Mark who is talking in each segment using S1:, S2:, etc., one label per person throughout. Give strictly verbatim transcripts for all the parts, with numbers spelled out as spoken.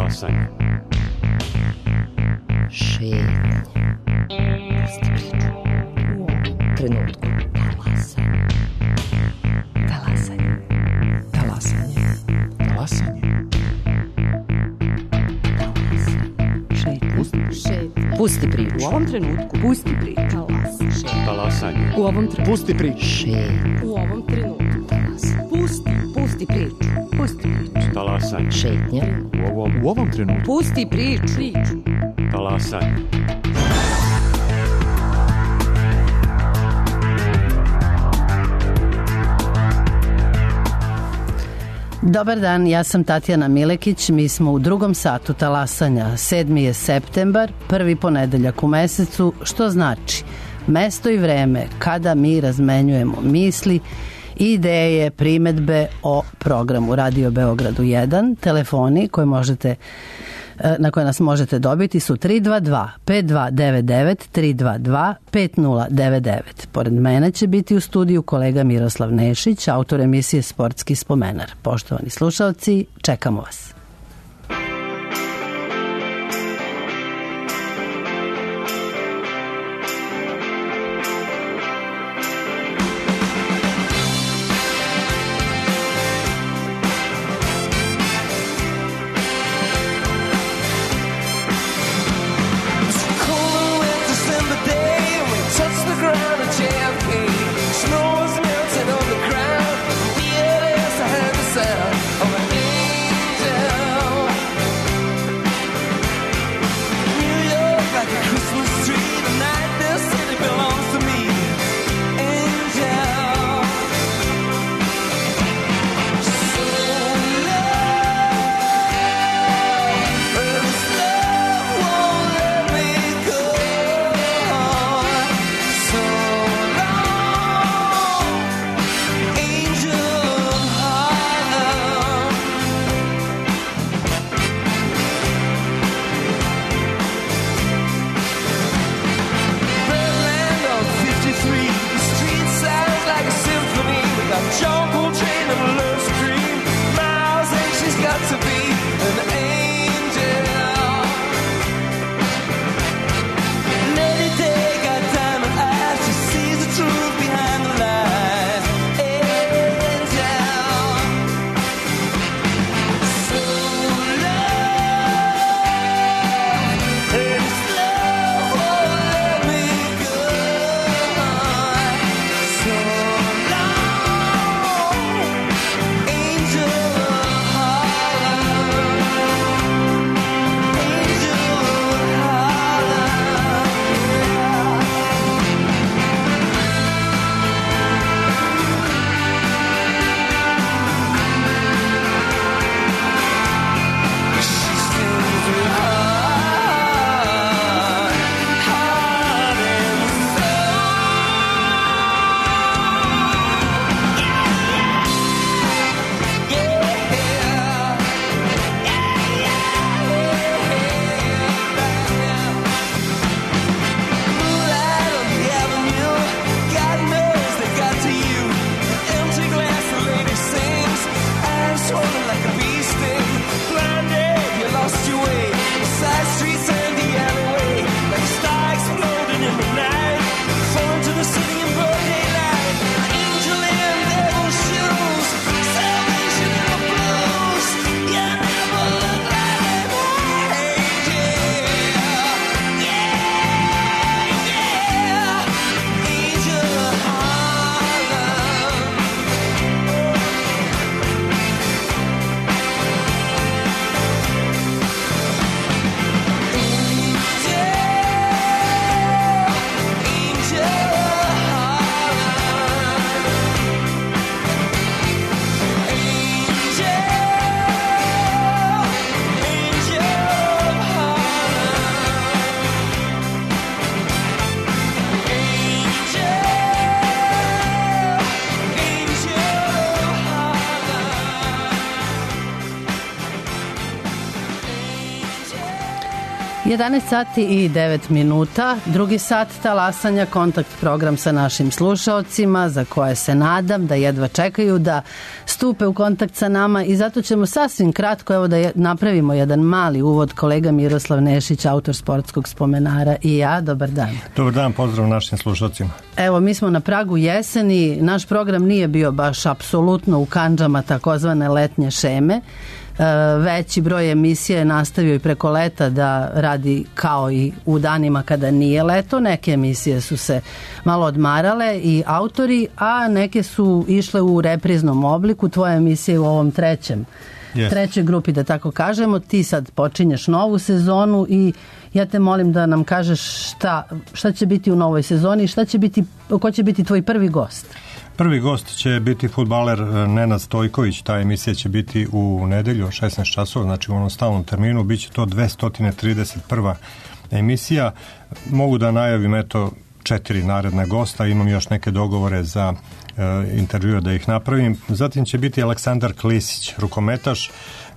S1: Talasanje.
S2: Šetnja. Pusti priču. U ovom trenutku. Talasanje. Talasanje.
S3: Talasanje.
S2: Šetnja. Pusti priču.
S4: U ovom trenutku. Pusti priču.
S1: Talasanje.
S4: U ovom trenutku.
S3: Pusti priču.
S2: Šetnja.
S4: U ovom trenutku.
S2: Talasanje.
S4: Pusti. Pusti priču. Pusti priču.
S1: Talasanje.
S2: Šetnja.
S1: U ovom,
S3: U ovom trenutku.
S4: Pusti priču. Priču.
S1: talasanje.
S5: Dobar dan, ja sam Tatjana Milekić, mi smo u drugom satu talasanja. sedmi je septembar, prvi ponedeljak u mesecu, što znači mesto i vreme kada mi razmenjujemo misli, ideje, primetbe o programu Radio Beogradu jedan. Telefoni koje možete, na koje nas možete dobiti su tri dva dva pet dva devet devet, tri dva dva pet nula devet devet. Pored mene će biti u studiju kolega Miroslav Nešić, autor emisije Sportski spomenar. Poštovani slušalci, čekamo vas.
S6: Of an angel
S5: jedanaest sati i devet minuta, drugi sat talasanja, kontakt program sa našim slušaocima za koje se nadam da jedva čekaju da stupe u kontakt sa nama i zato ćemo sasvim kratko evo da je, napravimo jedan mali uvod. Kolega Miroslav Nešić, autor Sportskog spomenara i ja, dobar dan.
S3: Dobar dan, pozdrav našim slušalcima.
S5: Evo, mi smo na pragu jeseni, naš program nije bio baš apsolutno u kandžama takozvane letnje šeme. Veći broj emisija je nastavio i preko leta da radi kao i u danima kada nije leto. Neke emisije su se malo odmarale i autori, a neke su išle u repriznom obliku. Tvoja emisija je u ovom trećem, yes. trećoj grupi, da tako kažemo. Ti sad počinješ novu sezonu i ja te molim da nam kažeš šta, šta će biti u novoj sezoni i šta će biti, ko će biti tvoj prvi gost?
S3: Prvi gost će biti fudbaler Nenad Stojković. Ta emisija će biti u nedelju o šesnaest časova, znači u onom stalnom terminu. Biće to dvesta trideset prva emisija. Mogu da najavim eto četiri naredna gosta. Imam još neke dogovore za e, intervjue da ih napravim. Zatim će biti Aleksandar Klisić, rukometaš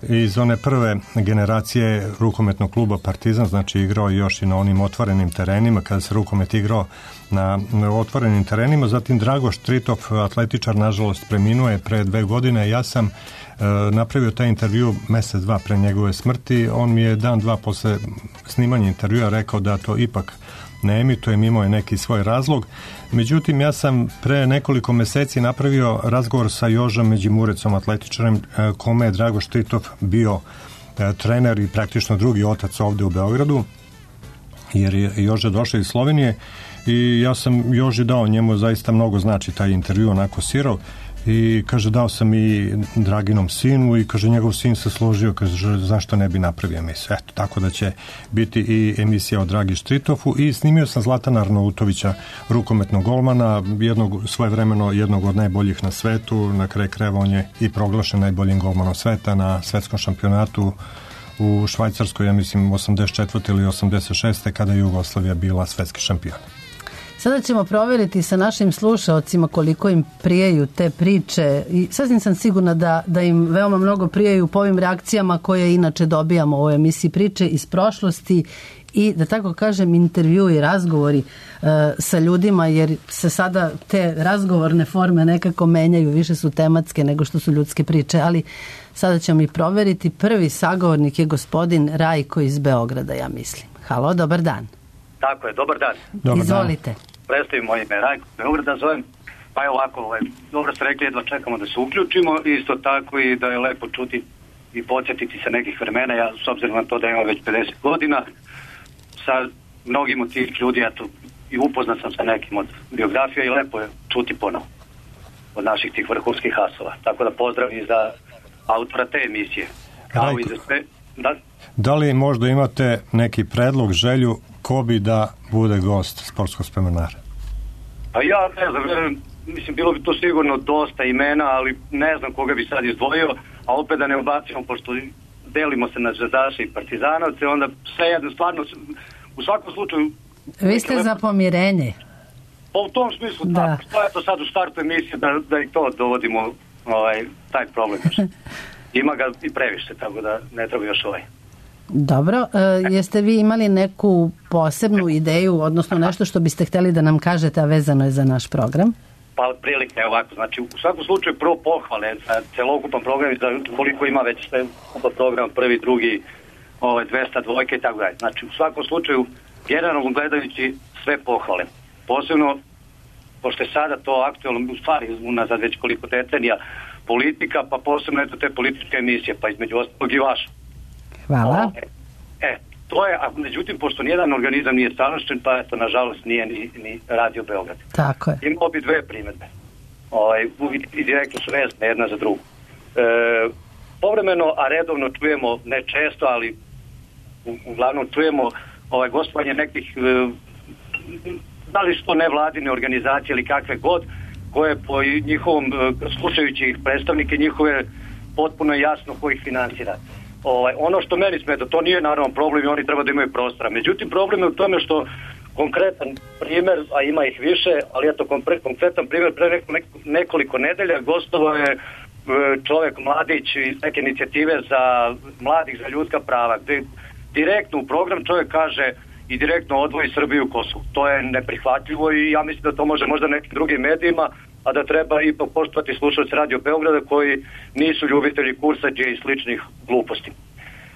S3: iz one prve generacije rukometnog kluba Partizan, znači igrao još i na onim otvorenim terenima kada se rukomet igrao na, na otvorenim terenima. Zatim Dragoš Tritov, atletičar, nažalost preminuo je pre dve godine. Ja sam e, napravio taj intervju mesec dva pre njegove smrti. On mi je dan dva posle snimanja intervjua rekao da to ipak ne emitujem, imao je neki svoj razlog. Međutim, ja sam pre nekoliko meseci napravio razgovor sa Jožom Međimurecom, atletičarem, kome je Dragoš Tritov bio trener i praktično drugi otac ovde u Beogradu, jer je Joža došao iz Slovenije i ja sam Joži dao, njemu zaista mnogo znači taj intervju, onako sirov, i kaže dao sam i Draginom sinu i kaže njegov sin se složio, kaže zašto ne bi napravio emisiju. Eto, tako da će biti i emisija o Dragi Štritofu i snimio sam Zlatana Arnautovića, rukometnog golmana, jednog, svojevremeno jednog od najboljih na svetu, na kraju krajeva on je i proglašen najboljim golmanom sveta na svetskom šampionatu u Švajcarskoj, ja mislim osamdeset četvrte ili osamdeset šeste kada je Jugoslavija bila svetski šampion.
S5: Sada ćemo provjeriti sa našim slušaocima koliko im prijaju te priče i sasvim sam sigurna da, da im veoma mnogo prijaju po ovim reakcijama koje inače dobijamo u ovoj emisiji, priče iz prošlosti i da tako kažem intervju i razgovori e, sa ljudima, jer se sada te razgovorne forme nekako menjaju, više su tematske nego što su ljudske priče, ali sada ćemo i provjeriti. Prvi sagovornik je gospodin Rajko iz Beograda, ja mislim. Halo, dobar dan.
S6: Tako je, dobar dan.
S3: Dobar
S5: Izvolite.
S6: Dan. Predstavim moje ime Rajko, Beograda zovem. Pa je ovako, ovaj, dobro ste rekli, jedva čekamo da se uključimo, isto tako i da je lepo čuti i podsjetiti se nekih vremena. Ja, s obzirom na to da imam već pedeset godina, sa mnogim od tih ljudi, ja tu i upoznat sam sa nekim od biografija i lepo je čuti ponovo od naših tih vrhunskih asova. Tako da pozdrav i za autora te emisije. Kao
S3: Rajko,
S6: i za sve. Da?
S3: da li možda imate neki predlog, želju ko bi da bude gost Sportskog spomenara?
S6: Pa ja ne znam, mislim, bilo bi to sigurno dosta imena, ali ne znam koga bi sad izdvojio, a opet da ne ubacimo, pošto delimo se na Zvezdaše i Partizanovce, onda sve jedno, stvarno, u svakom slučaju...
S5: Vi ste lepo za pomirenje.
S6: Pa u tom smislu, da. Tako, što je to sad u startu emisije, da, da i to dovodimo, ovaj, taj problem. Ima ga i previše, tako da ne treba još ovaj.
S5: Dobro, e, jeste vi imali neku posebnu ideju, odnosno nešto što biste htjeli da nam kažete, a vezano je za naš program?
S6: Pa prilike je ovako, znači u svakom slučaju prvo pohvale za celokupan program i za koliko ima već sve program, prvi, drugi, ovaj, dvesta dvojke i tako dalje. Znači u svakom slučaju, generalno gledajući sve pohvale. Posebno, pošto je sada to aktualno, u stvari unazad već koliko decenija, politika, pa posebno eto te političke emisije, pa između ostalog i vaša.
S5: Hvala.
S6: E, e, to je, a međutim, pošto nijedan organizam nije savršen, pa eto, nažalost, nije ni, ni Radio Beograd.
S5: Tako je.
S6: Imao bi dve primjedbe. Ovaj, i direktno su vezane jedna za drugu. E, povremeno, a redovno čujemo, ne često, ali u, uglavnom čujemo ovaj, gostovanje nekih, e, da li su to nevladine organizacije ili kakve god, koje po njihovom, slušajući ih predstavnike njihove, potpuno jasno ko ih finansira. Ovaj, ono što meni smeta, to nije naravno problem i oni treba da imaju prostora. Međutim, problem je u tome što konkretan primjer, a ima ih više, ali eto konkretan primjer, pre neko, neko, nekoliko nedelja gostovao je čovjek Mladić iz neke inicijative za mladih za ljudska prava, gde direktno u program čovjek kaže i direktno odvoji Srbiju i Kosovo. To je neprihvatljivo i ja mislim da to može možda nekim drugim medijima, a da treba ipak poštovati slušalci Radio Beograda koji nisu ljubitelji kursađe i sličnih gluposti.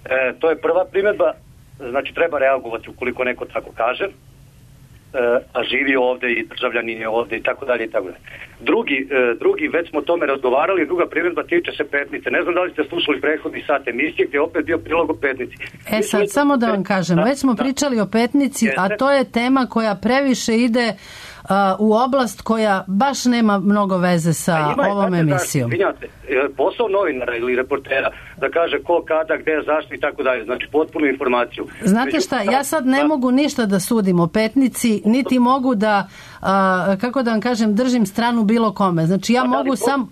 S6: E, to je prva primjedba, znači treba reagovati ukoliko neko tako kaže, a živi ovde i državljanin je ovde i tako dalje i tako dalje. Drugi, drugi, već smo o tome razgovarali, druga primjedba tiče se Petnice. Ne znam da li ste slušali prethodni sat emisije gdje je opet bio prilog o Petnici.
S5: E sad, Mi samo da vam kažem, da, već smo da. pričali o Petnici, Jeste. a to je tema koja previše ide uh, u oblast koja baš nema mnogo veze sa ima, ovom znate, emisijom. Da,
S6: posao novinara ili reportera da kaže ko, kada, gde, zašto i tako dalje. Znači potpunu informaciju.
S5: Znate Među, šta, ja sad ne da. mogu ništa da sudim o Petnici, niti mogu da, uh, kako da vam kažem, držim stranu bilo kome. Znači ja pa, mogu da, sam...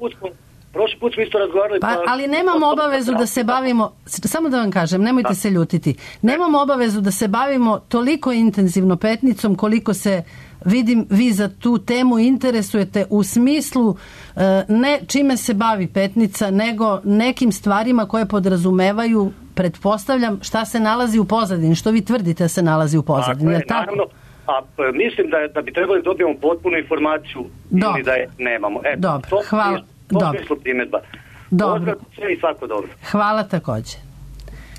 S6: Prošli put smo isto razgovarali...
S5: Pa, ali nemam obavezu da se bavimo... Samo da vam kažem, nemojte da. se ljutiti. Nemam obavezu da se bavimo toliko intenzivno Petnicom koliko se, vidim, vi za tu temu interesujete u smislu ne čime se bavi Petnica, nego nekim stvarima koje podrazumevaju, pretpostavljam, šta se nalazi u pozadini, što vi tvrdite da se nalazi u pozadini.
S6: Tako je, naravno. A mislim da, je, da bi trebali da dobijemo potpunu informaciju
S5: Dobre.
S6: ili da je nemamo. E,
S5: Dobro,
S6: to,
S5: hvala.
S6: To je primjedba.
S5: Dobro.
S6: Sve i svako dobro.
S5: Hvala takođe.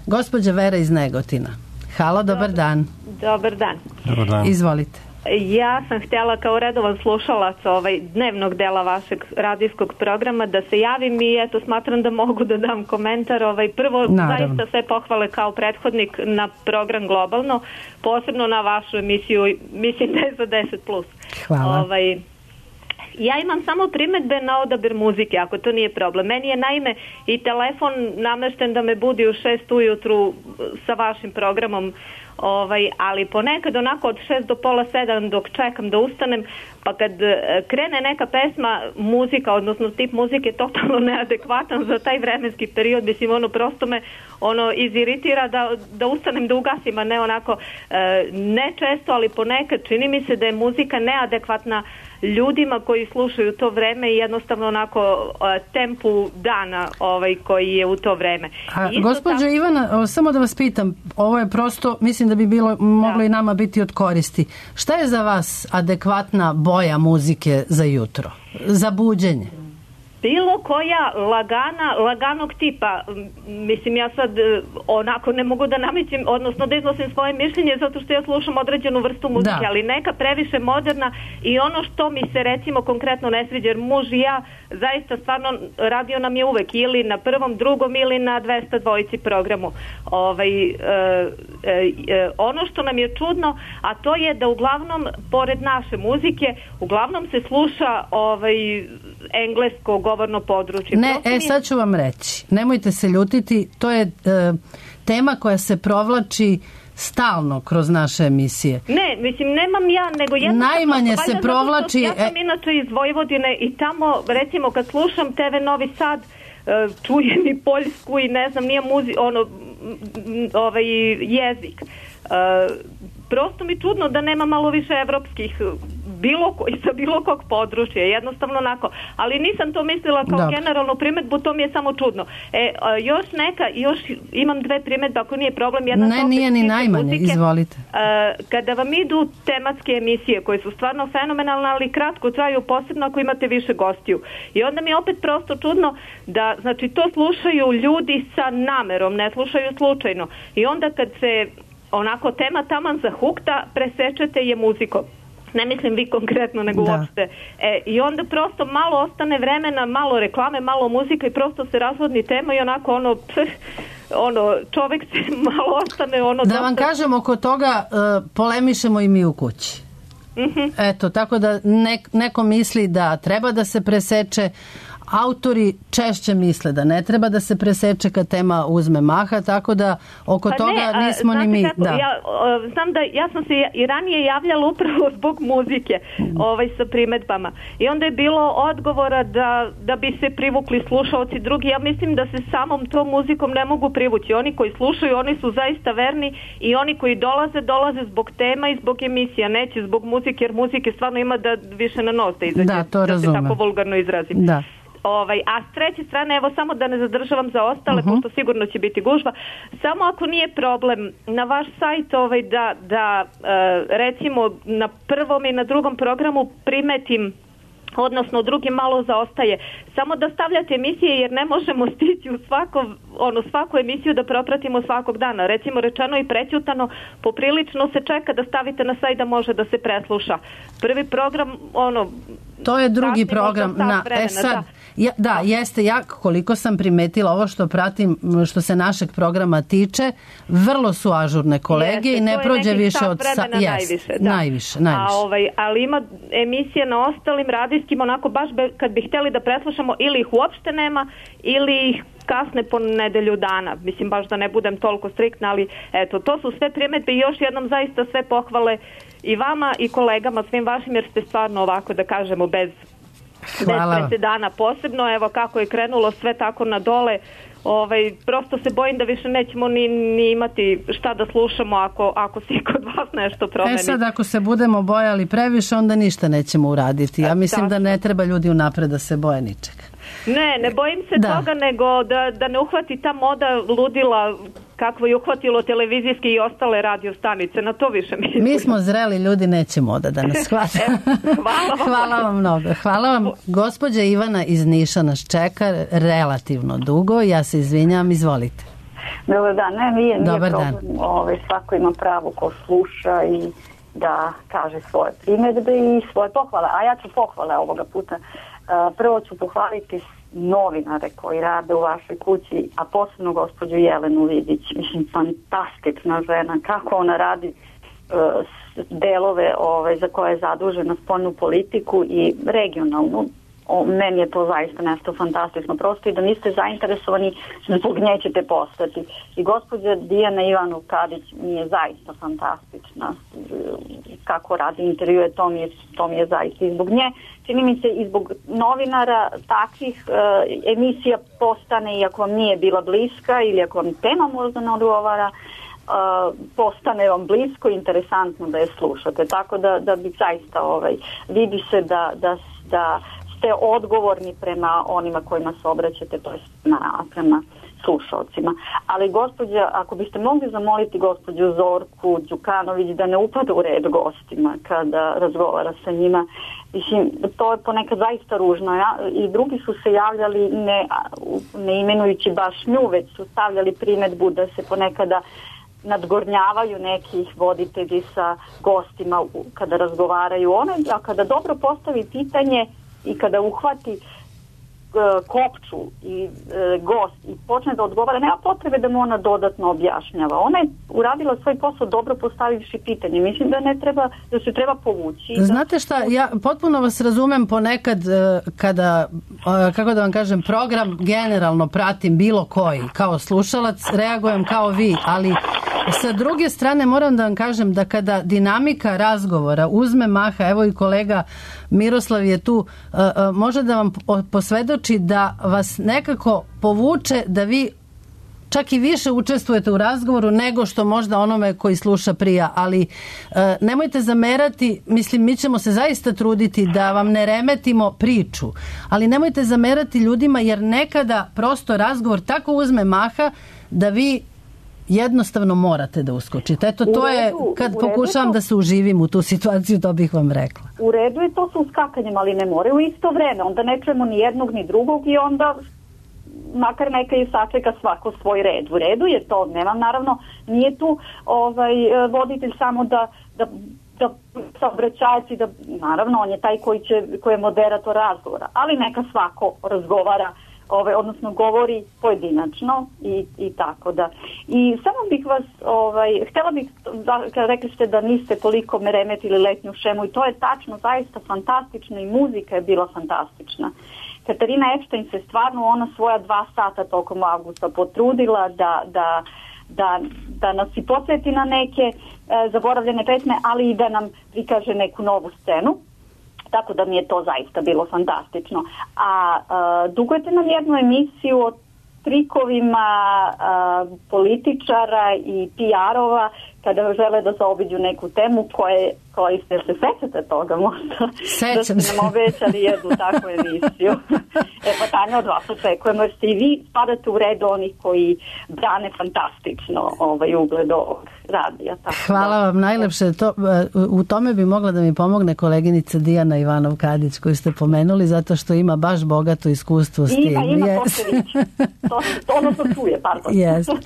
S5: Gospođa Vera iz Negotina. Halo, dobar dan.
S7: Dobar dan.
S3: Dobar dan.
S5: Izvolite.
S7: Ja sam htjela kao redovan slušalac ovaj dnevnog dela vašeg radijskog programa da se javim i eto smatram da mogu da dam komentar. Ovaj prvo Naravno. zaista sve pohvale kao prethodnik na program Globalno, posebno na vašu emisiju, mislim da je za deset plus.
S5: Hvala.
S7: Ovaj Ja imam samo primjedbe na odabir muzike, ako to nije problem. Meni je naime i telefon namešten da me budi u šest ujutru sa vašim programom, ovaj, ali ponekad onako od šest do pola sedam dok čekam da ustanem, pa kad krene neka pesma, muzika, odnosno tip muzike totalno neadekvatan za taj vremenski period, mislim, ono prosto me ono iziritira da, da ustanem da ugasim, a ne onako, ne često, ali ponekad čini mi se da je muzika neadekvatna ljudima koji slušaju to vreme i jednostavno onako tempu dana ovaj koji je u to vreme.
S5: A, gospođo tam... Ivana, samo da vas pitam, ovo je prosto, mislim da bi bilo moglo da. i nama biti od koristi. Šta je za vas adekvatna boja muzike za jutro? Za buđenje?
S7: Bilo koja lagana, laganog tipa, mislim ja sad onako ne mogu da namećem, odnosno da iznosim svoje mišljenje zato što ja slušam određenu vrstu muzike, da. ali neka previše moderna i ono što mi se recimo konkretno ne sviđa, jer muž i ja zaista stvarno radio nam je uvek ili na prvom, drugom ili na dvesta dvojici programu. Ovaj, e, e, ono što nam je čudno, a to je da uglavnom pored naše muzike, uglavnom se sluša ovaj englesko govorno područje.
S5: Ne, Prosim e sad ću vam reći. Nemojte se ljutiti, to je e, tema koja se provlači stalno kroz naše emisije.
S7: Ne, mislim, nemam ja, nego jednostavno...
S5: Najmanje se provlači...
S7: Ja sam inače iz Vojvodine i tamo, recimo, kad slušam te ve Novi Sad, e, čujem i Poljsku i ne znam, nije muzi, ono, ovaj jezik. E, prosto mi čudno da nema malo više evropskih bilo ko, sa bilo kog područja, jednostavno onako. Ali nisam to mislila kao Dobre. generalnu primjedbu, to mi je samo čudno. E, a, još neka, još imam dve primjedbe, ako nije problem. Jedna
S5: ne, nije ni najmanje, muzike. Izvolite.
S7: A, kada vam idu tematske emisije, koje su stvarno fenomenalne, ali kratko traju, posebno ako imate više gostiju. I onda mi je opet prosto čudno da, znači, to slušaju ljudi sa namerom, ne slušaju slučajno. I onda kad se onako tema taman zahukta, presečete je muzikom. Ne mislim vi konkretno, nego da. uopšte. E, I onda prosto malo ostane vremena, malo reklame, malo muzika i prosto se razvodni tema i onako ono, pff, ono čovek se malo ostane ono... Da
S5: dosta... vam kažem, oko toga uh, polemišemo i mi u kući. Mm-hmm. Eto, tako da nek, neko misli da treba da se preseče, autori češće misle da ne treba da se preseče kad tema uzme maha, tako da oko pa toga ne, nismo ni mi. Kako, da.
S7: Ja, o, znam da ja sam se i ranije javljala upravo zbog muzike mm. ovaj, sa primedbama. I onda je bilo odgovora da, da bi se privukli slušaoci drugi. Ja mislim da se samom tom muzikom ne mogu privući. Oni koji slušaju, oni su zaista verni i oni koji dolaze, dolaze zbog tema i zbog emisija. Neće zbog muzike, jer muzike stvarno ima da više na nos da izađe.
S5: Da, to razumem.
S7: Da se tako vulgarno izrazim.
S5: Da.
S7: Ovaj, a s treće strane, evo samo da ne zadržavam za ostale, uh-huh. pošto sigurno će biti gužva, samo ako nije problem na vaš sajt ovaj, da, da uh, recimo na prvom i na drugom programu primetim, odnosno drugi malo zaostaje. Samo da stavljate emisije jer ne možemo stići u svako, ono, svaku emisiju da propratimo svakog dana. Recimo rečeno i prećutano, poprilično se čeka da stavite na sajt da može da se presluša. Prvi program, ono...
S5: To je drugi program. Na, vremena, e sad, da. Ja, da, jeste, ja koliko sam primetila ovo što pratim, što se našeg programa tiče, vrlo su ažurne kolege jeste, i ne prođe više od...
S7: Sa, najviše, da.
S5: najviše, najviše.
S7: A, ovaj, ali ima emisije na ostalim radijskim, onako baš be, kad bi htjeli da preslušamo, ili ih uopšte nema, ili ih kasne po nedelju dana. Mislim, baš da ne budem toliko striktna, ali eto, to su sve primjedbe i još jednom zaista sve pohvale i vama i kolegama, svim vašim, jer ste stvarno ovako, da kažemo, bez, bez presedana posebno. Evo kako je krenulo sve tako na dole. Ovaj, prosto se bojim da više nećemo ni, ni imati šta da slušamo ako, ako se kod vas nešto promeni.
S5: E sad, ako se budemo bojali previše, onda ništa nećemo uraditi. Ja mislim da ne treba ljudi unapred da se boje ničega.
S7: Ne, ne bojim se da. toga, nego da, da ne uhvati ta moda ludila kakvo je uhvatilo televizijske i ostale radio stanice. Na to više mislim.
S5: Mi smo zreli ljudi, neće moda da nas hvata.
S7: Hvala vam.
S5: Hvala vam mnogo. Hvala vam. Gospođa Ivana iz Niša nas čeka relativno dugo. Ja se izvinjam, izvolite.
S8: Dobar dan. Ne, nije, nije
S5: Dobar
S8: problem.
S5: Dan.
S8: Ove, svako ima pravo ko sluša i da kaže svoje primjedbe i svoje pohvale. A ja ću pohvale ovoga puta. Prvo ću pohvaliti novinare koji rade u vašoj kući, a posebno gospođu Jelenu Vidić. Mislim, fantastična žena, kako ona radi uh, delove ove, za koje je zadužena spoljnu politiku i regionalnu. O, meni je to zaista nešto fantastično. Prosto i da niste zainteresovani, zbog nje ćete postati. I gospođa Dijana Ivanov-Kadić mi je zaista fantastična. Kako radi intervjue, to mi je, to mi je zaista. I zbog nje, čini mi se, i zbog novinara takvih uh, emisija postane, iako vam nije bila bliska ili ako vam tema možda ne odgovara, Uh, postane vam blisko i interesantno da je slušate. Tako da, da bi zaista ovaj, vidi se da, da, da ste odgovorni prema onima kojima se obraćate, to je prema slušalcima. Ali gospođa, ako biste mogli zamoliti gospođu Zorku Đukanović da ne upada u red gostima kada razgovara sa njima, mislim, to je ponekad zaista ružno. Ja, i drugi su se javljali ne, ne imenujući baš nju, već su stavljali primedbu da se ponekada nadgornjavaju nekih voditelji sa gostima kada razgovaraju one, a kada dobro postavi pitanje i kada uhvati e, kopču i e, gost i počne da odgovara, nema potrebe da mu ona dodatno objašnjava. Ona je uradila svoj posao dobro postavivši pitanje. Mislim da ne treba, da se treba povući.
S5: Znate šta, ja potpuno vas razumem ponekad kada, kako da vam kažem, program generalno pratim bilo koji, kao slušalac, reagujem kao vi, ali sa druge strane moram da vam kažem da kada dinamika razgovora uzme maha, evo i kolega Miroslav je tu, može da vam posvedoči da vas nekako povuče da vi čak i više učestvujete u razgovoru nego što možda onome koji sluša prija, ali e, nemojte zamerati, mislim, mi ćemo se zaista truditi da vam ne remetimo priču, ali nemojte zamerati ljudima jer nekada prosto razgovor tako uzme maha da vi jednostavno morate da uskočite. Eto, to je, kad pokušavam da se uživim u tu situaciju, to bih vam rekla.
S8: U redu je to sa uskakanjem, ali ne more u isto vreme. Onda ne čujemo ni jednog ni drugog i onda makar neka i sačeka svako svoj red. U redu je to, nemam, naravno, nije tu ovaj, voditelj samo da, da, da saobraćajac i da, naravno, on je taj koji, će, koji je moderator razgovora, ali neka svako razgovara, ovaj, odnosno govori pojedinačno i, i tako da. I samo bih vas, ovaj, htjela bih, da, kada rekli ste da niste toliko me remetili letnju šemu i to je tačno, zaista fantastično i muzika je bila fantastična. Katarina Epstein se stvarno ona svoja dva sata tokom avgusta potrudila da, da, da, da nas i podsjeti na neke e, zaboravljene pesme, ali i da nam prikaže neku novu scenu. Tako da mi je to zaista bilo fantastično. A e, dugujete nam jednu emisiju o trikovima e, političara i P R-ova kada žele da zaobiđu neku temu koje, koji ste se sećate toga možda.
S5: Sećam
S8: da ste nam obećali jednu takvu emisiju. E pa Tanja, od vas očekujemo jer ste i vi spadate u red onih koji brane fantastično ovaj ugled ovog radija. Tako
S5: Hvala
S8: da,
S5: vam najlepše. To, u tome bi mogla da mi pomogne koleginica Dijana Ivanov-Kadić koju ste pomenuli zato što ima baš bogato iskustvo s tim.
S8: Ima, ima,
S5: yes.
S8: to se viče. To, to ono to čuje, pardon.
S5: Yes.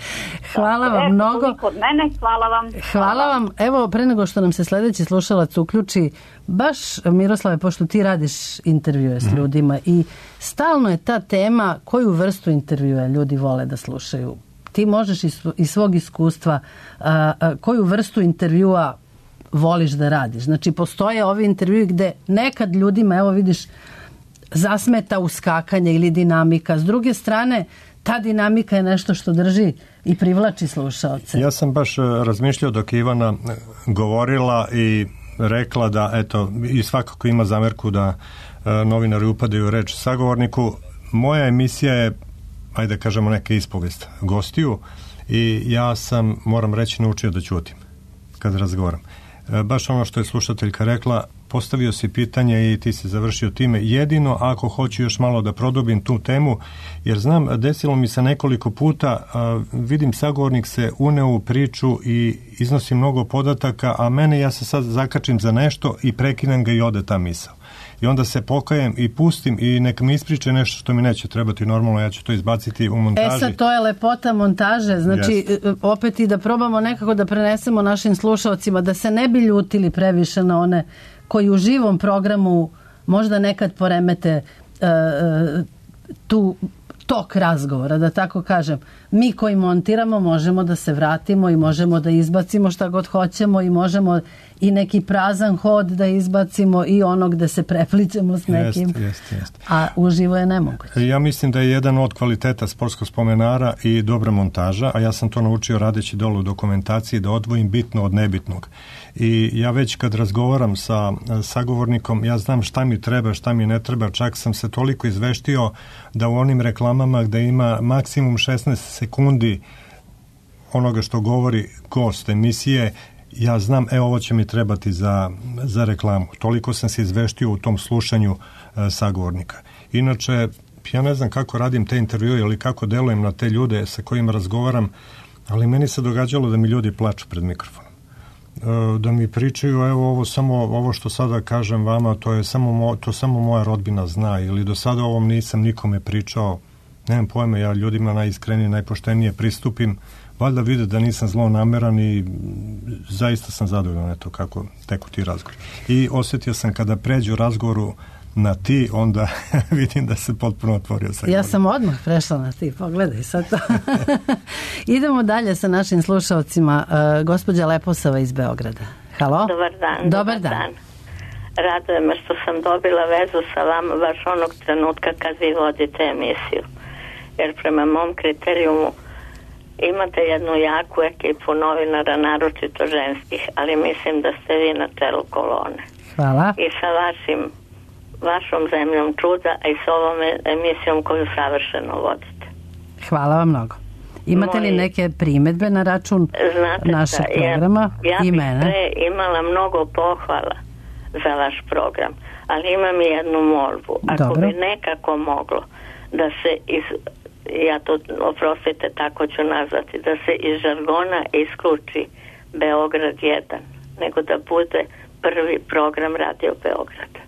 S5: Hvala vam
S8: e,
S5: mnogo.
S8: Kod mene, hvala vam.
S5: Hvala vam. Evo, pre nego što nam se sledeći slušalac uključi, baš, Miroslave, pošto ti radiš intervjue s ljudima i stalno je ta tema koju vrstu intervjua ljudi vole da slušaju. Ti možeš iz svog iskustva a, a, koju vrstu intervjua voliš da radiš. Znači, postoje ovi intervjui gde nekad ljudima, evo vidiš, zasmeta uskakanje ili dinamika. S druge strane, ta dinamika je nešto što drži i privlači slušaoce.
S3: Ja sam baš razmišljao dok je Ivana govorila i rekla da, eto, i svakako ima zamerku da e, novinari upadaju u reč sagovorniku. Moja emisija je, ajde da kažemo, neka ispovest gostiju i ja sam, moram reći, naučio da ćutim kad razgovaram. E, baš ono što je slušateljka rekla, postavio si pitanje i ti si završio time. Jedino ako hoću još malo da produbim tu temu, jer znam, desilo mi se nekoliko puta, a, vidim sagovornik se uneo u priču i iznosi mnogo podataka, a mene, ja se sad zakačim za nešto i prekinem ga i ode ta misao. I onda se pokajem i pustim i neka mi ispriče nešto što mi neće trebati normalno, ja ću to izbaciti u montaži.
S5: E sad, to je lepota montaže, znači
S3: Yes.
S5: opet i da probamo nekako da prenesemo našim slušalcima da se ne bi ljutili previše na one koji u živom programu možda nekad poremete uh, tu tok razgovora, da tako kažem. Mi koji montiramo možemo da se vratimo i možemo da izbacimo šta god hoćemo i možemo i neki prazan hod da izbacimo i ono gde se preplićemo s nekim.
S3: Jest, jest, jest.
S5: A uživo je nemoguće.
S3: Ja mislim da je jedan od kvaliteta sportskog spomenara i dobra montaža, a ja sam to naučio radeći dole u dokumentaciji, da odvojim bitno od nebitnog. I ja već kad razgovaram sa sagovornikom, ja znam šta mi treba, šta mi ne treba, čak sam se toliko izveštio da u onim reklamama gde ima maksimum šesnaest sekundi onoga što govori gost emisije, ja znam, e, ovo će mi trebati za, za reklamu. Toliko sam se izveštio u tom slušanju e, sagovornika. Inače, ja ne znam kako radim te intervjue ili kako delujem na te ljude sa kojima razgovaram, ali meni se događalo da mi ljudi plaču pred mikrofonom. E, da mi pričaju, evo ovo samo, ovo što sada kažem vama, to je samo, mo, to samo moja rodbina zna, ili do sada ovom nisam nikome pričao, nemam pojma, ja ljudima najiskrenije, najpoštenije pristupim, valjda vide da nisam zlonameran i zaista sam zadovoljan eto kako teku ti razgovor. I osjetio sam kada pređu razgovoru na ti, onda vidim da se potpuno otvorio sa
S5: Ja sam odmah prešla na ti, pogledaj sad to. Idemo dalje sa našim slušalcima. Uh, gospođa Leposava iz Beograda. Halo?
S9: Dobar dan.
S5: Dobar dan. dan.
S9: Raduje me što sam dobila vezu sa vama baš onog trenutka kad vi vodite emisiju. Jer prema mom kriterijumu imate jednu jaku ekipu novinara, naročito ženskih, ali mislim da ste vi na čelu kolone.
S5: Hvala.
S9: I sa vašim, vašom zemljom čuda, a i s ovom emisijom koju savršeno vodite.
S5: Hvala vam mnogo. Imate Moji, li neke primedbe na račun
S9: znate
S5: našeg
S9: šta,
S5: programa
S9: ja, ja
S5: i
S9: bih
S5: mene?
S9: pre imala mnogo pohvala za vaš program, ali imam i jednu molbu. Ako
S5: Dobro.
S9: bi nekako moglo da se iz... ja to, oprostite, tako ću nazvati, da se iz žargona isključi Beograd jedan, nego da bude prvi program Radio Beograda.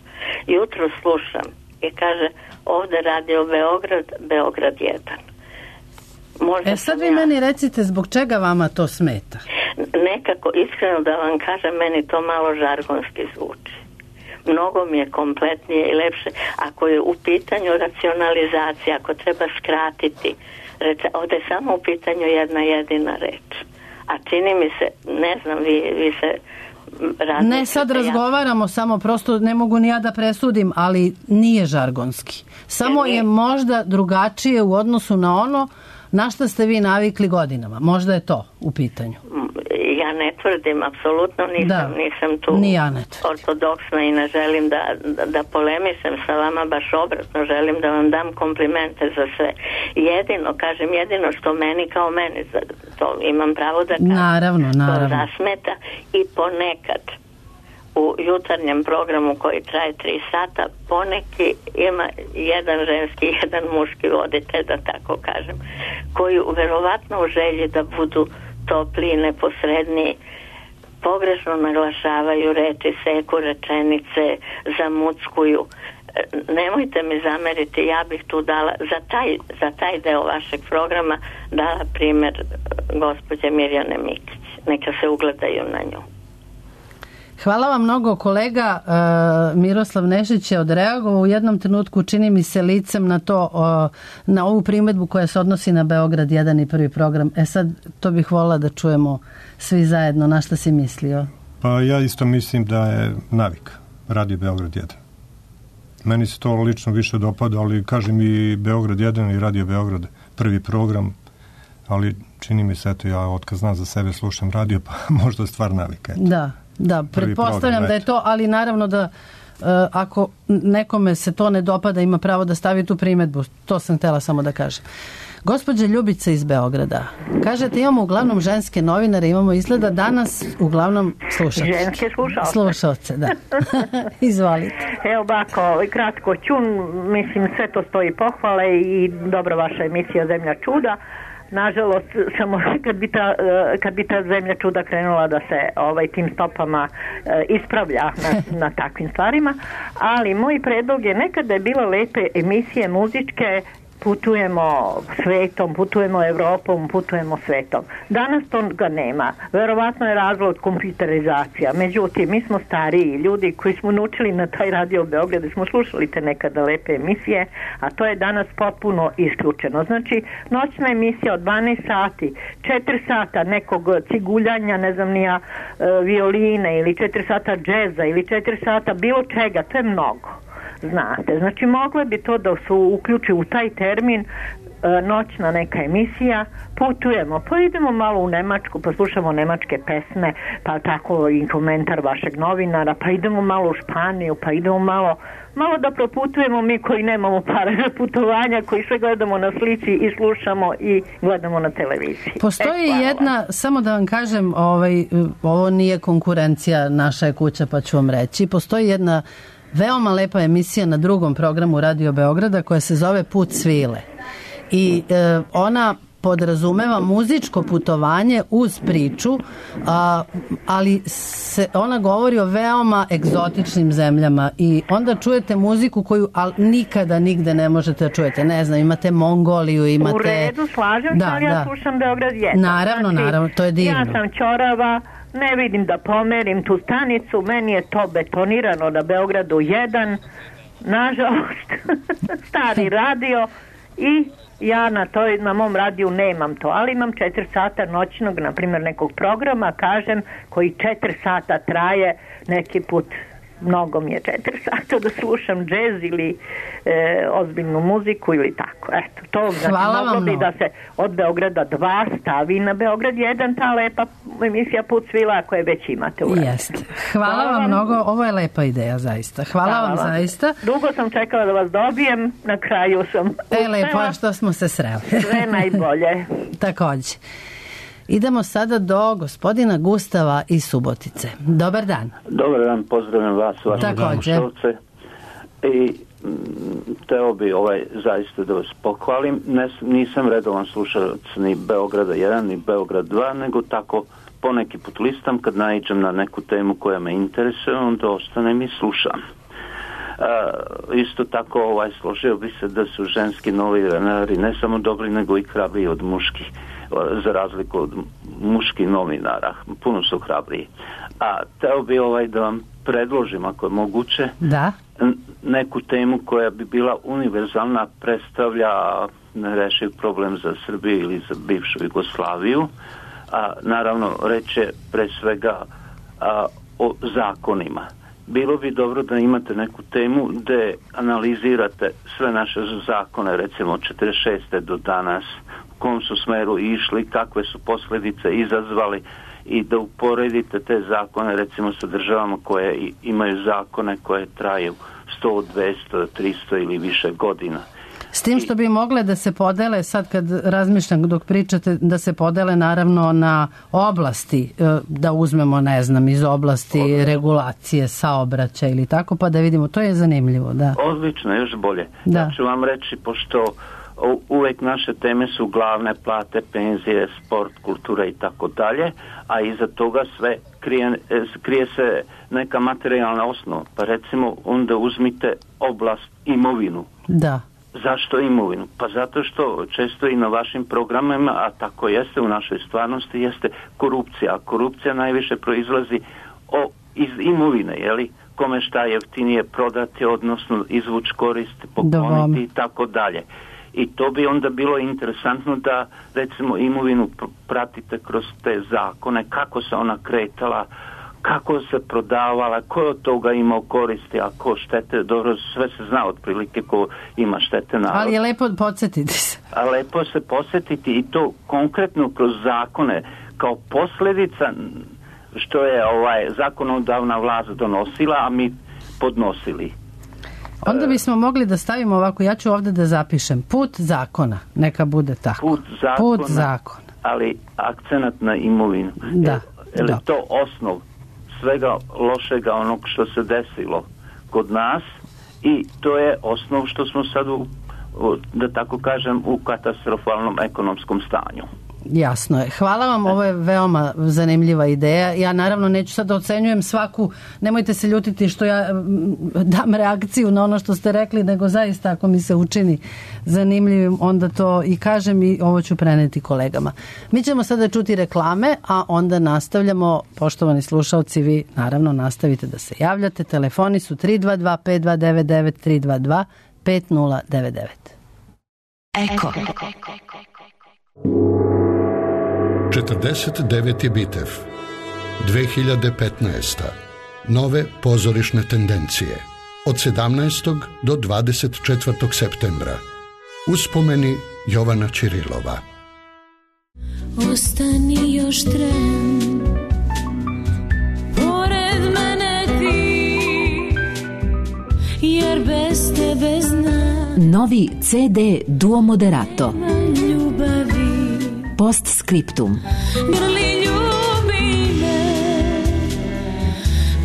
S9: Jutro slušam i kaže ovde Radio Beograd, Beograd jedan. Možda
S5: e sad vi
S9: ja,
S5: meni recite zbog čega vama to smeta?
S9: Nekako, iskreno da vam kažem, meni to malo žargonski zvuči. Mnogo mi je kompletnije i lepše. Ako je u pitanju racionalizacija, ako treba skratiti, reč, ovdje je samo u pitanju jedna jedina reč. A čini mi se, ne znam, vi, vi se razmišljate.
S5: Ne, sad razgovaramo, samo prosto ne mogu ni ja da presudim, ali nije žargonski. Samo je možda drugačije u odnosu na ono na šta ste vi navikli godinama. Možda je to u pitanju.
S9: Ja ja ne tvrdim, apsolutno nisam,
S5: Da.
S9: nisam tu
S5: Ni ja ne tvrdim.
S9: ortodoksna i ne želim da, da, da polemišem sa vama, baš obratno, želim da vam dam komplimente za sve. Jedino, kažem, jedino što meni kao meni, to imam pravo da kažem,
S5: Naravno, naravno.
S9: to zasmeta i ponekad u jutarnjem programu koji traje tri sata, poneki ima jedan ženski, jedan muški voditelj, da tako kažem, koji verovatno u želji da budu topli, neposredni, pogrešno naglašavaju reči, seku rečenice, zamuckuju. Nemojte mi zameriti, ja bih tu dala za taj, za taj deo vašeg programa dala primjer gospođe Mirjane Mikić. Neka se ugledaju na nju.
S5: Hvala vam mnogo, kolega. E, Miroslav Nešić je odreagovao u jednom trenutku, čini mi se, licem na to, o, na ovu primjedbu koja se odnosi na Beograd jedan i prvi program. E sad, to bih volila da čujemo svi zajedno. Na šta si mislio?
S3: Pa ja isto mislim da je navik Radio Beograd jedan. Meni se to lično više dopada, ali kažem i Beograd jedan i Radio Beograd prvi program, ali čini mi se, eto, ja otkad znam za sebe slušam radio, pa možda stvar navika. Eto.
S5: Da. Da, pretpostavljam da je to, ali naravno da uh, ako nekome se to ne dopada, ima pravo da stavi tu primjedbu. To sam htjela samo da kažem. Gospođa Ljubica iz Beograda, kažete imamo uglavnom ženske novinare, imamo izgleda danas uglavnom slušalce.
S10: Ženske slušalce.
S5: Slušalce, da. Izvolite.
S10: Evo ovako, kratko ću, mislim sve to stoji pohvale i dobra vaša emisija Zemlja čuda. Nažalost, samo kad bi ta, kad bi ta zemlja čuda krenula da se ovaj tim stopama ispravlja na, na takvim stvarima, ali moj predlog je, nekada je bilo lepe emisije muzičke, putujemo svetom, putujemo Evropom, putujemo svetom. Danas to ga nema. Verovatno je razlog kompjuterizacija. Međutim, mi smo stariji ljudi koji smo naučili na taj Radio Beograd, smo slušali te nekada lepe emisije, a to je danas potpuno isključeno. Znači, noćna emisija od dvanaest sati, četiri sata nekog ciguljanja, ne znam nija, violine, ili četiri sata džeza, ili četiri sata bilo čega, to je mnogo. Znate, znači moglo bi to da se uključi u taj termin, e, noćna neka emisija, putujemo, pa idemo malo u Nemačku, pa slušamo nemačke pesme, pa tako i komentar vašeg novinara, pa idemo malo u Španiju, pa idemo malo, malo da proputujemo mi koji nemamo pare za putovanja, koji sve gledamo na slici i slušamo i gledamo na televiziji.
S5: Postoji e, jedna, samo da vam kažem, ovaj, ovo nije konkurencija, naša je kuća, pa ću vam reći, postoji jedna veoma lepa emisija na drugom programu Radio Beograda koja se zove Put svile. I e, ona podrazumeva muzičko putovanje uz priču, a, ali se, ona govori o veoma egzotičnim zemljama i onda čujete muziku koju al, nikada nigde ne možete da čujete. Ne znam, imate Mongoliju, imate...
S10: U redu, slažem
S5: da,
S10: se, ali ja
S5: da.
S10: slušam Beograd jedan.
S5: Naravno,
S10: znači,
S5: naravno, to je divno.
S10: Ja sam ćorava, ne vidim da pomerim tu stanicu, meni je to betonirano na Beogradu jedan, nažalost, stari radio i ja na, toj, na mom radiju nemam to, ali imam četiri sata noćnog, na primjer nekog programa, kažem, koji četiri sata traje, neki put mnogo mi je četiri sata da slušam džez ili e, ozbiljnu muziku ili tako. Eto, to znači moglo bi da se od Beograda dva stavi na Beograd jedan, ta lepa emisija Put svila koje već imate u
S5: Jeste. Hvala, Hvala vam mnogo, ovo je lepa ideja zaista. Hvala, Hvala vam zaista.
S10: Dugo sam čekala da vas dobijem, na kraju sam
S5: E, lepo je što smo se sreli.
S10: Sve najbolje.
S5: Takođe. Idemo sada do gospodina Gustava iz Subotice. Dobar dan.
S11: Dobar dan, pozdravljam vas, vaše slušalce. I teo bi ovaj, zaista da vas pohvalim. Ne, nisam redovan slušalac ni Beograda jedan, ni Beograd dva, nego tako poneki put listam kad naiđem na neku temu koja me interesuje, onda ostanem i slušam. Uh, isto tako ovaj, složio bi se da su ženski novinari ne samo dobri, nego i hrabriji od muških, za razliku od muških novinara, puno su hrabriji. A teo bi ovaj da vam predložim, ako je moguće,
S5: da.
S11: neku temu koja bi bila univerzalna, predstavlja nerešiv problem za Srbiju ili za bivšu Jugoslaviju. A, naravno, reče pre svega a, o zakonima. Bilo bi dobro da imate neku temu gde analizirate sve naše zakone, recimo od četrdeset šeste do danas, u kom su smeru išli, kakve su posljedice izazvali i da uporedite te zakone recimo sa državama koje imaju zakone koje traju sto, dvesta, tristo ili više godina.
S5: S tim što bi mogle da se podele, sad kad razmišljam dok pričate, da se podele naravno na oblasti, da uzmemo, ne znam, iz oblasti Odlično. regulacije, saobraćaja ili tako, pa da vidimo, to je zanimljivo, da.
S11: Odlično, još bolje.
S5: Da.
S11: Ja ću vam reći, pošto uvek naše teme su glavne plate, penzije, sport, kultura i tako dalje, a iza toga sve krije, krije se neka materijalna osnova. Pa recimo onda uzmite oblast imovinu.
S5: Da.
S11: Zašto imovinu? Pa zato što često i na vašim programima, a tako jeste u našoj stvarnosti, jeste korupcija. A korupcija najviše proizlazi o, iz imovine, jeli? Kome šta jeftinije prodati, odnosno izvući korist, pokloniti i tako dalje. I to bi onda bilo interesantno da recimo imovinu pratite kroz te zakone, kako se ona kretala, kako se prodavala, ko je od toga imao koristi, a ko štete, dobro, sve se zna otprilike ko ima štete narod.
S5: Ali je lepo podsjetiti se.
S11: A lepo se podsjetiti i to konkretno kroz zakone, kao posljedica što je ovaj zakonodavna vlast donosila, a mi podnosili.
S5: Onda bismo mogli da stavimo ovako, ja ću ovdje da zapišem, put zakona, neka bude tako.
S11: Put zakona,
S5: put zakona.
S11: Ali akcenat na imovinu.
S5: Da.
S11: Je li to osnov svega lošega onog što se desilo kod nas i to je osnov što smo sad u, da tako kažem, u katastrofalnom ekonomskom stanju.
S5: Jasno je. Hvala vam, ovo je veoma zanimljiva ideja. Ja naravno neću sad da ocenjujem svaku, nemojte se ljutiti što ja dam reakciju na ono što ste rekli, nego zaista ako mi se učini zanimljivim, onda to i kažem i ovo ću preneti kolegama. Mi ćemo sada čuti reklame, a onda nastavljamo. Poštovani slušalci, vi naravno nastavite da se javljate. Telefoni su tri dva dva pet dva devet devet tri dva dva pet nula devet devet.
S12: Eko. četrdeset deveti Bitev, dve hiljade petnaesta. Nove pozorišne tendencije. Od sedamnaestog do dvadeset četvrtog septembra. Uspomeni Jovana Ćirilova.
S13: Ostani još tren, pored mene ti, jer bez tebe znam.
S14: Novi ce de Duo Moderato.
S13: Ljubavi.
S14: Postscriptum.
S13: Grli ljubi me,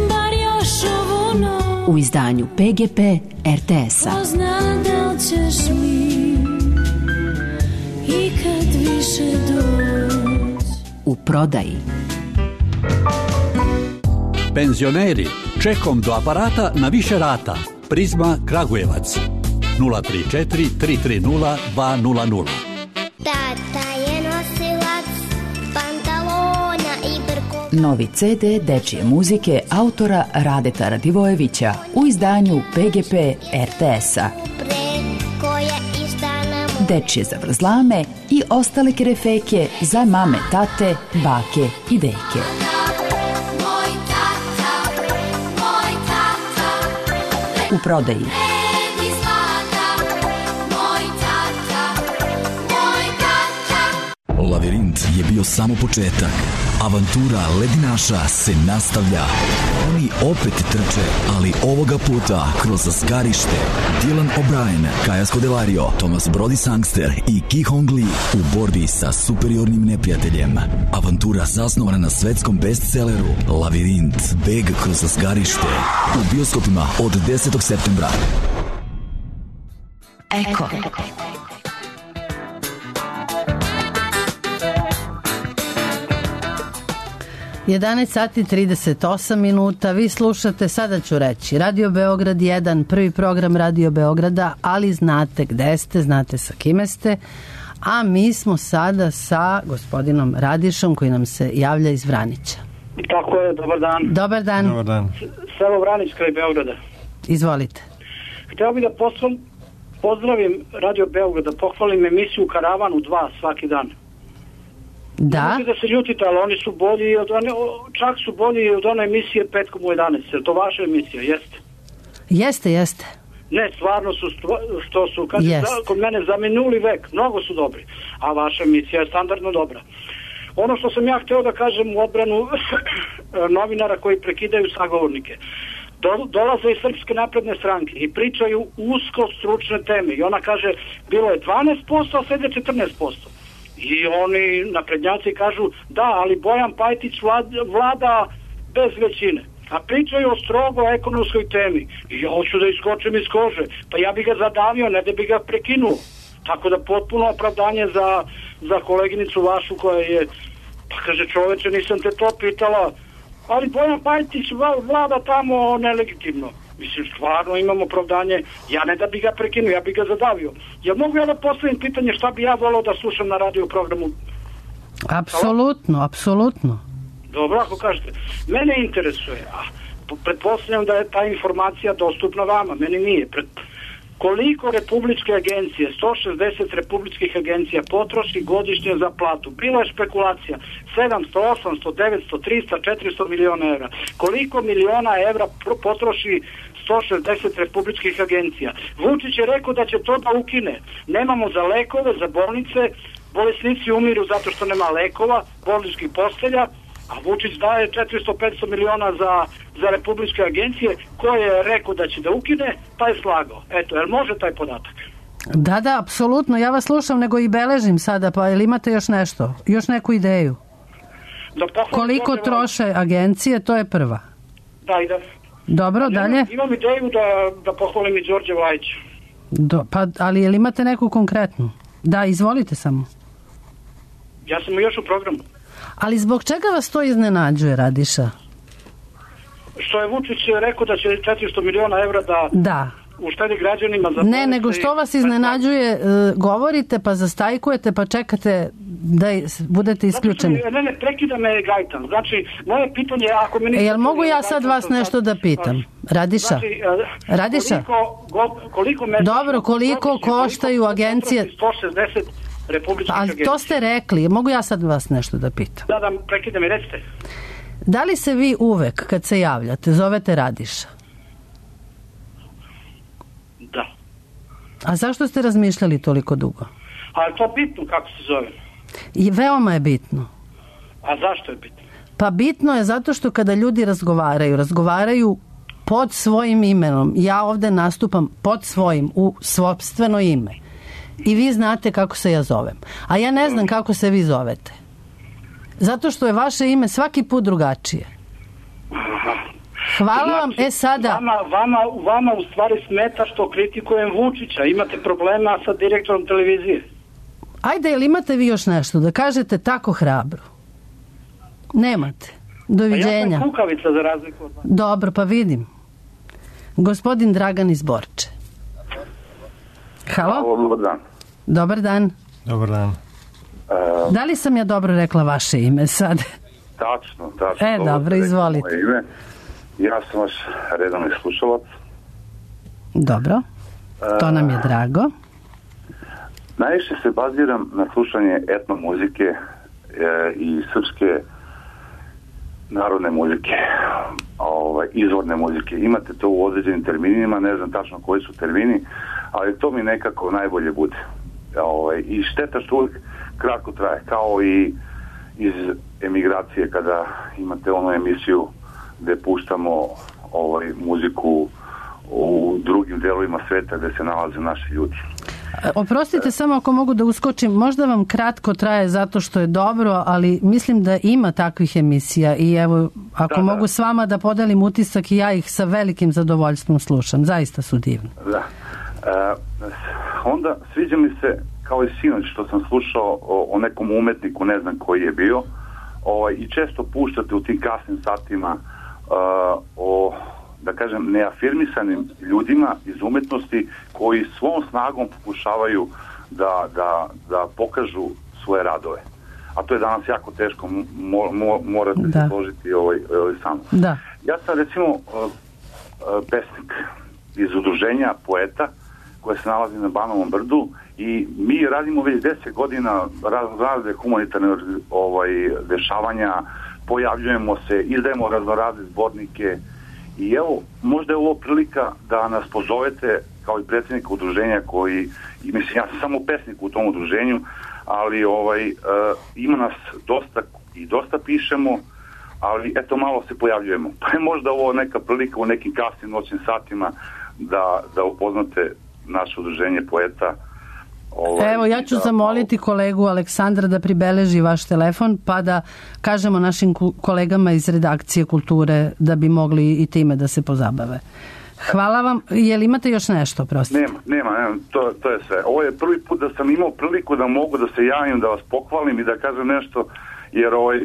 S13: bar još ovu noć.
S14: U izdanju pe ge pe er te es-a.
S13: Ko zna da li ćeš mi ikad više doći.
S14: U prodaji.
S15: Penzioneri, čekom do aparata na više rata. Prizma Kragujevac. nula tri četiri tri tri nula dva nula nula.
S16: Tata je nosilac pantalona i brko.
S14: Novi ce de dečije muzike autora Radeta Radivojevića u izdanju pe ge pe er te es-a. Dečije zavrzlame i ostale kerefeke za mame, tate, bake i deke.
S13: Moj tata, moj tata.
S14: U prodaji.
S17: Lavirint je bio samo početak. Avantura ledinaša se nastavlja. Oni opet trče, ali ovoga puta kroz zgarište. Dylan O'Brien, Kaja Scodelario, Thomas Brody Sangster i Ki Hong Lee u borbi sa superiornim neprijateljem. Avantura zasnovana na svetskom bestselleru Lavirint, beg kroz zgarište. U bioskopima od desetog septembra.
S14: Eko.
S5: jedanaest sati trideset osam minuta, vi slušate, sada ću reći, Radio Beograd jedan, prvi program Radio Beograda, ali znate gde ste, znate sa kime ste, a mi smo sada sa gospodinom Radišom koji nam se javlja iz Vranića.
S18: Tako je, dobar dan.
S5: Dobar dan.
S3: Dobar dan.
S18: Selo Vranić kraj Beograda.
S5: Izvolite.
S18: Htio bih da posl- pozdravim Radio Beograd, da pohvalim emisiju Karavanu dva svaki dan.
S5: Da.
S18: Ne možete da se ljutite, ali oni su bolji od one, čak su bolji od one emisije petkom u jedanaest. Je to vaša emisija? Jeste?
S5: Jeste, jeste.
S18: Ne, stvarno su što su kad
S5: yes.
S18: kod mene za minuli vek, mnogo su dobri, a vaša emisija je standardno dobra. Ono što sam ja hteo da kažem u odbranu novinara koji prekidaju sagovornike, Do, dolaze iz Srpske napredne stranke i pričaju usko stručne teme i ona kaže bilo je dvanaest posto, a sad je četrnaest posto. I oni naprednjaci kažu da, ali Bojan Pajtić vlada, vlada bez većine. A pričaju o strogo ekonomskoj temi. I ja hoću da iskočim iz kože. Pa ja bi ga zadavio, ne da bi ga prekinuo. Tako da potpuno opravdanje za, za koleginicu vašu koja je, pa kaže čoveče, nisam te to pitala, ali Bojan Pajtić vlada tamo nelegitimno. Mislim, stvarno imam opravdanje, ja ne da bi ga prekinuo, ja bi ga zadavio. Ja mogu ja da postavim pitanje šta bi ja volao da slušam na radio programu?
S5: Apsolutno, apsolutno.
S18: Dobro, ako kažete. Mene interesuje, a pretpostavljam da je ta informacija dostupna vama, meni nije. Pred... Koliko republičke agencije, sto šezdeset republičkih agencija potroši godišnje za platu? Bila je špekulacija, sedamsto, osamsto, devetsto, trista, četiristo miliona evra. Koliko miliona evra potroši sto šezdeset republičkih agencija? Vučić je rekao da će to da ukine. Nemamo za lekove, za bolnice, bolesnici umiru zato što nema lekova, bolničkih postelja, a Vučić daje četiristo do petsto miliona za, za republičke agencije, koje je rekao da će da ukine, taj je slagao. Eto, jel može taj podatak?
S5: Da, da, apsolutno. Ja vas slušam, nego i beležim sada, pa jel imate još nešto? Još neku ideju?
S18: Da
S5: koliko troše agencije, to je prva.
S18: Da, i da.
S5: Dobro,
S18: imam,
S5: dalje?
S18: Imam ideju da, da pohvalim i Đorđe Vlajića.
S5: Do, pa, ali jel imate neku konkretnu? Da, izvolite samo.
S18: Ja sam još u programu.
S5: Ali zbog čega vas to iznenađuje, Radiša?
S18: Što je Vučić rekao da će četiristo miliona evra da,
S5: da.
S18: uštedi građanima za...
S5: Ne, nego što vas iznenađuje, govorite pa zastajkujete pa čekate da budete isključeni.
S18: Znači, ne, ne, prekida me Gajtan. Znači, moje pitanje je ako mi...
S5: E, jel mogu ja sad vas nešto da pitam? Radiša?
S18: Znači,
S5: Radiša?
S18: Koliko, go, koliko mesečno...
S5: Dobro, koliko koštaju agencije...
S18: sto šezdeset republičkih agencija.
S5: A to ste rekli. Mogu ja sad vas nešto da pitam?
S18: Da, da, prekida mi, recite.
S5: Da li se vi uvek, kad se javljate, zovete Radiša?
S18: Da.
S5: A zašto ste razmišljali toliko dugo?
S18: A je to bitno kako se zove?
S5: I veoma je bitno.
S18: A zašto je bitno?
S5: Pa bitno je zato što kada ljudi razgovaraju, razgovaraju pod svojim imenom. Ja ovde nastupam pod svojim, u sopstveno ime. I vi znate kako se ja zovem. A ja ne znam kako se vi zovete. Zato što je vaše ime svaki put drugačije. Hvala vam, e sada...
S18: Vama, vama, vama u stvari smeta što kritikujem Vučića. Imate problema sa direktorom televizije.
S5: Ajde, jel imate vi još nešto da kažete tako hrabro? Nemate. Doviđenja.
S18: A ja sam kukavica za razliku od vas.
S5: Dobro, pa vidim. Gospodin Dragan iz Borče. Halo?
S19: Dobar dan.
S5: Dobar dan.
S3: Dobar dan.
S19: Uh,
S5: da li sam ja dobro rekla vaše ime sad?
S19: Tačno, tačno.
S5: E, dobro, izvolite.
S19: Ime. Ja sam vaš redovni slušalac.
S5: Dobro, to nam je drago. Uh,
S19: najviše se baziram na slušanje etno muzike e, i srpske narodne muzike, ovaj, izvorne muzike. Imate to u određenim terminima, ne znam tačno koji su termini, ali to mi nekako najbolje bude. Ovaj, I šteta što uvijek kratko traje, kao i iz emigracije kada imate onu emisiju gde puštamo ovaj, muziku u drugim delovima sveta gde se nalaze naši ljudi.
S5: Oprostite, samo ako mogu da uskočim, možda vam kratko traje zato što je dobro, ali mislim da ima takvih emisija i evo, ako da, mogu da. s vama da podelim utisak i ja ih sa velikim zadovoljstvom slušam, zaista su divni.
S19: Da. E, onda sviđa mi se, kao i sinoć što sam slušao o, o nekom umetniku, ne znam koji je bio, ovaj, i često puštate u tim kasnim satima uh, o, da kažem, neafirmisanim ljudima iz umetnosti koji svom snagom pokušavaju da, da, da pokažu svoje radove. A to je danas jako teško, mo, mo, morate da. se složiti ovaj, ovaj sam.
S5: Da.
S19: Ja sam recimo uh, uh, pesnik iz udruženja poeta koje se nalazi na Banovom brdu i mi radimo već deset godina razne humanitarne ovaj, dešavanja, pojavljujemo se, izdajemo raznorazne zbornike i evo, možda je ovo prilika da nas pozovete kao i predsjednika udruženja koji, i mislim, ja sam samo pesnik u tom udruženju, ali ovaj, uh, ima nas dosta i dosta pišemo, ali eto malo se pojavljujemo. Pa je možda ovo neka prilika u nekim kasnim noćnim satima da, da upoznate naše udruženje poeta. Ovaj,
S5: Evo, ja ću
S19: da,
S5: zamoliti kolegu Aleksandra da pribeleži vaš telefon, pa da kažemo našim kolegama iz redakcije kulture da bi mogli i time da se pozabave. Hvala vam. Je li imate još nešto, prostite?
S19: Nema, nema, nema to, to je sve. Ovo je prvi put da sam imao priliku da mogu da se javim, da vas pohvalim i da kažem nešto, jer ovaj, uh,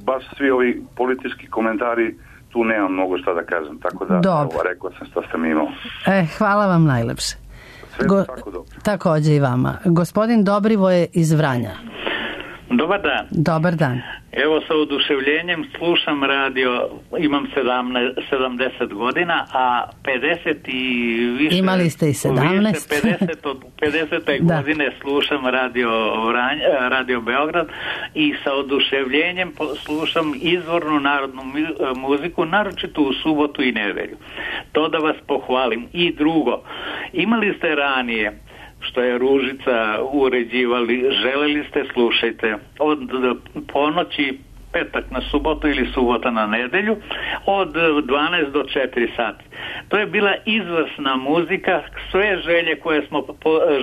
S19: baš svi ovi politički komentari, tu nemam mnogo šta da kažem, tako da ovo, rekao sam šta sam imao.
S5: E, hvala vam najlepše.
S19: Sve Go, tako dobro.
S5: Takođe i vama. Gospodin Dobrivoje iz Vranja.
S20: Dobar dan.
S5: Dobar dan.
S20: Evo, sa oduševljenjem slušam radio, imam sedamdeset godina, a pedeset i više...
S5: Imali ste i sedamnaest.
S20: Više pedeset, od pedesete godine slušam radio, Vranje, radio Beograd i sa oduševljenjem slušam izvornu narodnu muziku, naročito u subotu i nedelju. To da vas pohvalim. I drugo, imali ste ranije, što je Ružica uređivali, želeli ste, slušajte, od ponoći petak na subotu ili subota na nedelju od dvanaest do četiri sati. To je bila izvrsna muzika, sve želje koje smo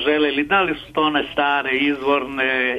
S20: želeli, da li su to one stare, izvorne,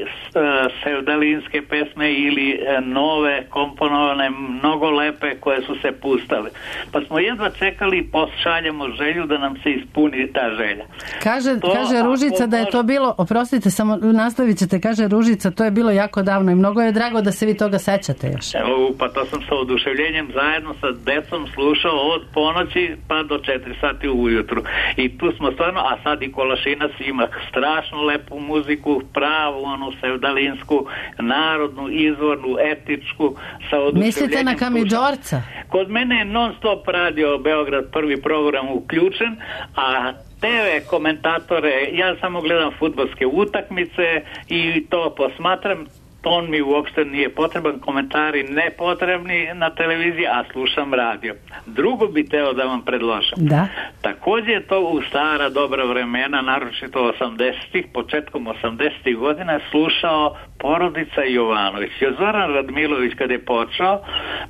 S20: sevdalinske pesme ili nove, komponovane, mnogo lepe koje su se pustale. Pa smo jedva čekali i pošaljemo želju da nam se ispuni ta želja.
S5: Kaže, to, kaže Ružica da je to bilo, oprostite, samo nastavit ćete, kaže Ružica, to je bilo jako davno i mnogo je drago da se vi toga sećate još.
S20: Evo, pa to sam sa oduševljenjem zajedno sa decom slušao od ponoći pa do četiri sati ujutru. I tu smo stvarno, a sad i Kolašinac ima strašno lepu muziku, pravu, onu sevdalinsku, narodnu, izvornu, etičku, sa oduševljenjem.
S5: Mislite na Kamidžorca?
S20: Kod mene je non stop radio Beograd prvi program uključen, a te ve komentatore, ja samo gledam fudbalske utakmice i to posmatram. On mi uopšte nije potreban, komentari nepotrebni na televiziji, a slušam radio. Drugo bi teo da vam predložim.
S5: Da.
S20: Također je to u stara dobra vremena, naročito osamdesetih, početkom osamdesetih godina slušao porodica Jovanović. Zoran Radmilović kad je počeo,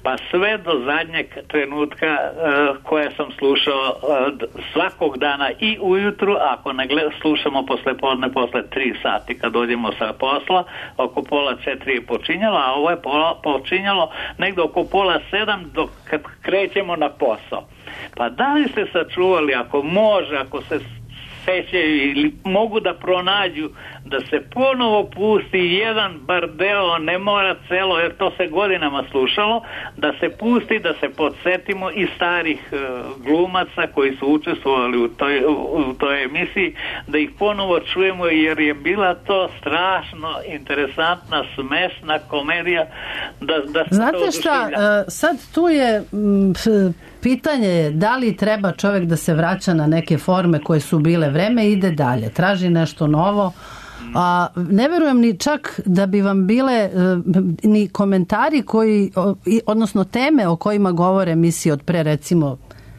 S20: pa sve do zadnjeg trenutka uh, koje sam slušao uh, svakog dana i ujutru, ako ne gled, slušamo posle podne, posle tri sati kad dođemo sa posla, oko pola četiri je počinjalo, a ovo je pola, počinjalo negdje oko pola sedam dok kad krećemo na posao. Pa da li ste sačuvali, ako može, ako se sećaju ili mogu da pronađu da se ponovo pusti jedan bar deo, ne mora celo, jer to se godinama slušalo, da se pusti, da se podsjetimo i starih uh, glumaca koji su učestvovali u toj, u, u toj emisiji, da ih ponovo čujemo, jer je bila to strašno interesantna, smešna komedija. Da, da
S5: Znate šta, sad tu je m, pitanje je da li treba čovjek da se vraća na neke forme koje su bile, vreme ide dalje, traži nešto novo. A ne verujem ni čak da bi vam bile ni komentari koji, odnosno teme o kojima govore emisije od pre recimo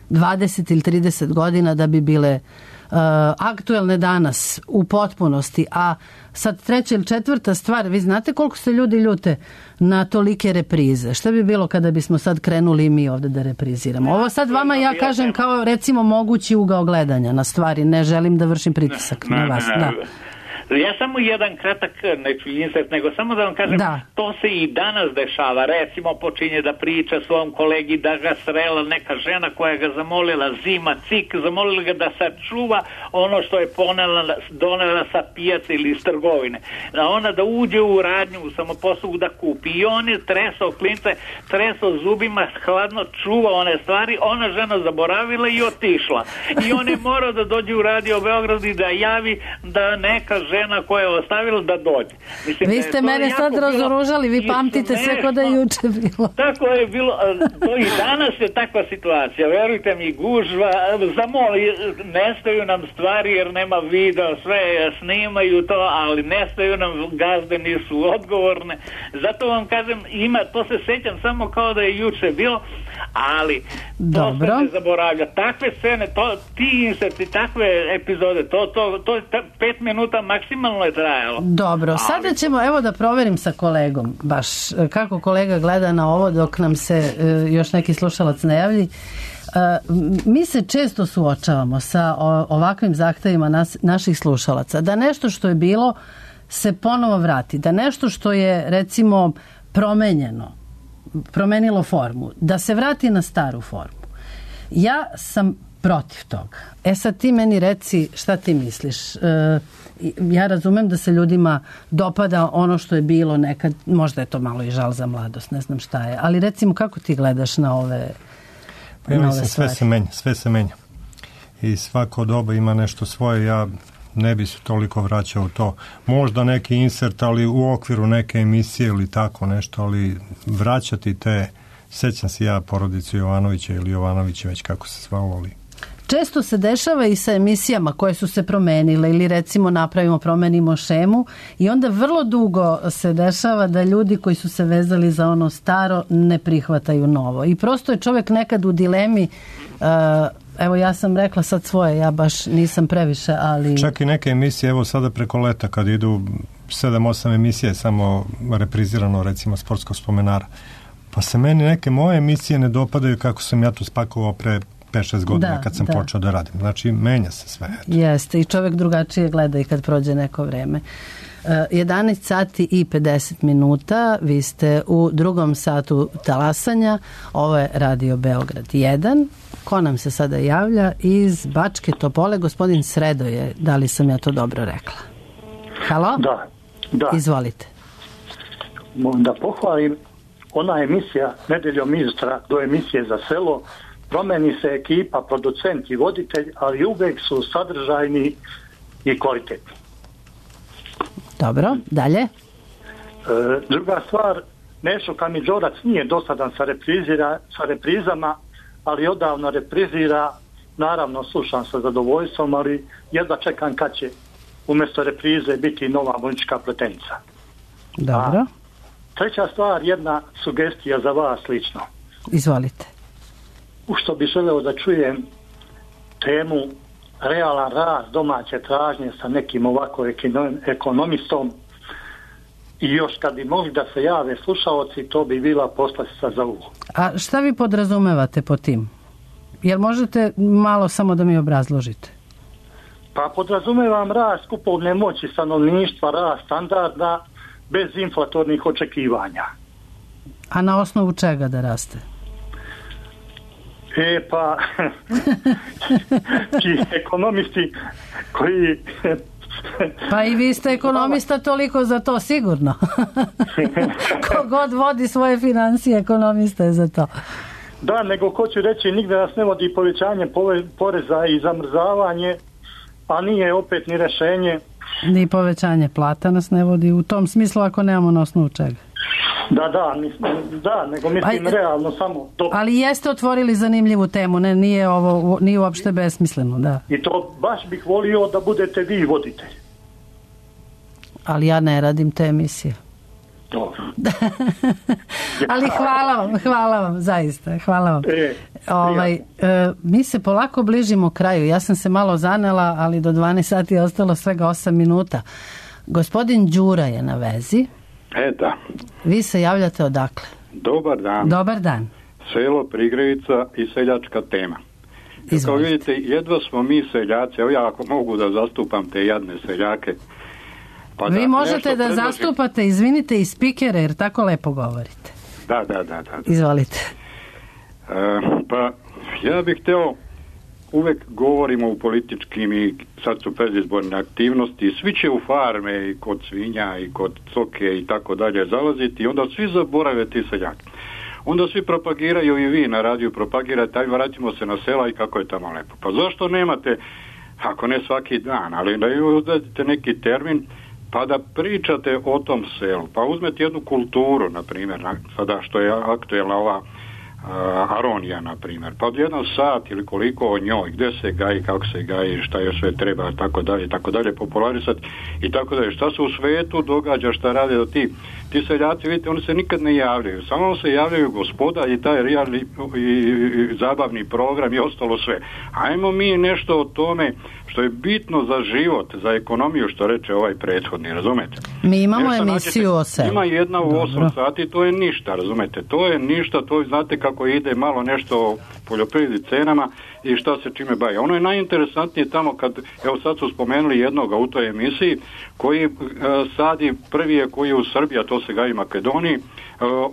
S5: dvadeset ili trideset godina da bi bile uh, aktuelne danas u potpunosti. A sad treća ili četvrta stvar, vi znate koliko se ljudi ljute na tolike reprize. Šta bi bilo kada bismo sad krenuli i mi ovdje da repriziramo? Ovo sad vama ja kažem kao recimo mogući ugao gledanja na stvari. Ne želim da vršim pritisak na vas. Da.
S20: Ja samo jedan kratak, neću insert, nego samo da vam kažem, da. To se i danas dešava. Recimo počinje da priča svom kolegi da ga srela neka žena koja ga zamolila, zima, cik, zamolila ga da sačuva ono što je ponela, donela sa pijace ili iz trgovine. Da ona da uđe u radnju, u samoposlugu da kupi. I on je tresao klince, tresao zubima, hladno čuva one stvari, ona žena zaboravila i otišla. I on je morao da dođe u radio Beograd i da javi da neka žena žena koja je ostavila da dođe. Mislim,
S5: vi ste mene sad razoružali, vi pamtite sve kod da je juče bilo.
S20: Tako je bilo, to i danas je takva situacija, verujte mi, gužva, zamoli, nestaju nam stvari jer nema video, sve snimaju to, ali nestaju nam, gazde nisu odgovorne. Zato vam kažem, ima, to se sećam samo kao da je juče bilo, ali
S5: Dobro.
S20: to se ne zaboravlja. Takve scene, to, ti inserti, takve epizode, to, to, to, to pet minuta maksimalno je trajalo.
S5: Dobro, ali... sada ćemo, evo da proverim sa kolegom, baš kako kolega gleda na ovo dok nam se uh, još neki slušalac ne javlji. Uh, mi se često suočavamo sa o, ovakvim zahtevima nas, naših slušalaca, da nešto što je bilo se ponovo vrati, da nešto što je recimo promenjeno, promenilo formu, da se vrati na staru formu. Ja sam protiv toga. E sad ti meni reci šta ti misliš. E, ja razumem da se ljudima dopada ono što je bilo nekad, možda je to malo i žal za mladost, ne znam šta je, ali recimo kako ti gledaš na ove
S3: Pa ja mislim, sve se menja, sve se menja. I svako doba ima nešto svoje, ja ne bi se toliko vraćao u to. Možda neki insert, ali u okviru neke emisije ili tako nešto, ali vraćati te, sećam se ja porodicu Jovanovića ili Jovanovića, već kako se zvalo, ali...
S5: Često se dešava i sa emisijama koje su se promenile ili recimo napravimo, promenimo šemu i onda vrlo dugo se dešava da ljudi koji su se vezali za ono staro ne prihvataju novo. I prosto je čovjek nekad u dilemi, uh, evo ja sam rekla sad svoje, ja baš nisam previše, ali...
S3: Čak i neke emisije, evo sada preko leta kad idu sedam osam emisije samo reprizirano recimo sportskog spomenara, pa se meni neke moje emisije ne dopadaju kako sam ja to spakovao pre pet šest godina da, kad sam da. počeo da radim. Znači, menja se sve. Eto.
S5: Jeste, i čovjek drugačije gleda i kad prođe neko vreme. jedanaest sati i pedeset minuta, vi ste u drugom satu talasanja, ovo je Radio Beograd jedan. Ko nam se sada javlja? Iz Bačke Topole, gospodin Sredoje, da li sam ja to dobro rekla? Halo?
S21: Da, da.
S5: Izvolite.
S21: Da pohvalim, ona emisija Nedeljom ministra do emisije za selo, promeni se ekipa, producent i voditelj, ali uvek su sadržajni i kvalitetni.
S5: Dobro, dalje. E,
S21: druga stvar, Nešo Kamidžorac nije dosadan sa, reprizira, sa reprizama, ali odavno reprizira, naravno slušam sa zadovoljstvom, ali jedva čekam kad će umjesto reprize biti nova muzička pletenica.
S5: Dobro.
S21: A treća stvar, jedna sugestija za vas lično.
S5: Izvolite.
S21: U što bi želeo da čujem temu realan rast domaće tražnje sa nekim ovako ekonomistom i još kad bi mogli da se jave slušaoci, to bi bila poslastica za uvo.
S5: A šta vi podrazumevate po tim? Jer možete malo samo da mi obrazložite?
S21: Pa podrazumevam rast kupovne moći stanovništva, rast standarda bez inflatornih očekivanja.
S5: A na osnovu čega da raste?
S21: E pa ti ekonomisti koji
S5: pa i vi ste ekonomista, toliko za to sigurno. Kogod vodi svoje financije, ekonomista je za to.
S21: Da, nego ko ću reći, nigde nas ne vodi povećanje poreza i zamrzavanje, a nije opet ni rešenje.
S5: Ni povećanje plata nas ne vodi u tom smislu ako nemamo na osnovu čega.
S21: Da, da, mislim, da, nego mislim pa, realno samo to.
S5: Ali jeste otvorili zanimljivu temu, ne, nije ovo, nije uopšte besmisleno, da.
S21: I to baš bih volio da budete vi voditelj.
S5: Ali ja ne radim te emisije.
S21: Dobro.
S5: Ali hvala vam, hvala vam, zaista, hvala vam.
S21: E,
S5: ovaj, e, mi se polako bližimo kraju, ja sam se malo zanela, ali do dvanaest sati je ostalo svega osam minuta. Gospodin Đura je na vezi.
S22: E da.
S5: Vi se javljate odakle?
S22: Dobar dan.
S5: Dobar dan.
S22: Selo Prigrevica i seljačka tema. Izvolite. Kao vidite, jedva smo mi seljaci, evo ja ako mogu da zastupam te jadne seljake. Pa
S5: vi
S22: da,
S5: možete da
S22: predložim.
S5: Zastupate, izvinite, i spikere, jer tako lepo govorite.
S22: Da, da, da. da, da.
S5: Izvolite.
S22: E, pa ja bih hteo, uvek govorimo u političkim i sad su predizborne aktivnosti, svi će u farme i kod svinja i kod coke i tako dalje zalaziti i onda svi zaborave ti seljaki. Onda svi propagiraju i vi na radiju propagirate, aj vratimo se na sela i kako je tamo lepo. Pa zašto nemate, ako ne svaki dan, ali da uzmete neki termin pa da pričate o tom selu, pa uzmete jednu kulturu, na primjer, sada što je aktuelna ova aronija, na primjer, pa jedan sat ili koliko o njoj, gdje se gaji, kako se gaji, šta još sve treba, tako dalje, tako dalje, popularisati i tako dalje. Šta se u svetu događa, šta rade do ti. Ti seljaci, vidite, oni se nikad ne javljaju, samo se javljaju gospoda i taj realni i, i, i zabavni program i ostalo sve. Ajmo mi nešto o tome što je bitno za život, za ekonomiju, što reče ovaj prethodni, razumete?
S5: Mi imamo nešto emisiju o selu.
S22: Ima jedna u osam sati, to je ništa, razumete? To je ništa, to je, znate kako ide malo nešto o poljoprivredi, cenama i šta se čime bavi. Ono je najinteresantnije tamo kad, evo sad su spomenuli jednoga u toj emisiji, koji uh, sadi, prvi je koji je u Srbiji, a to se gaji Makedoniji, uh,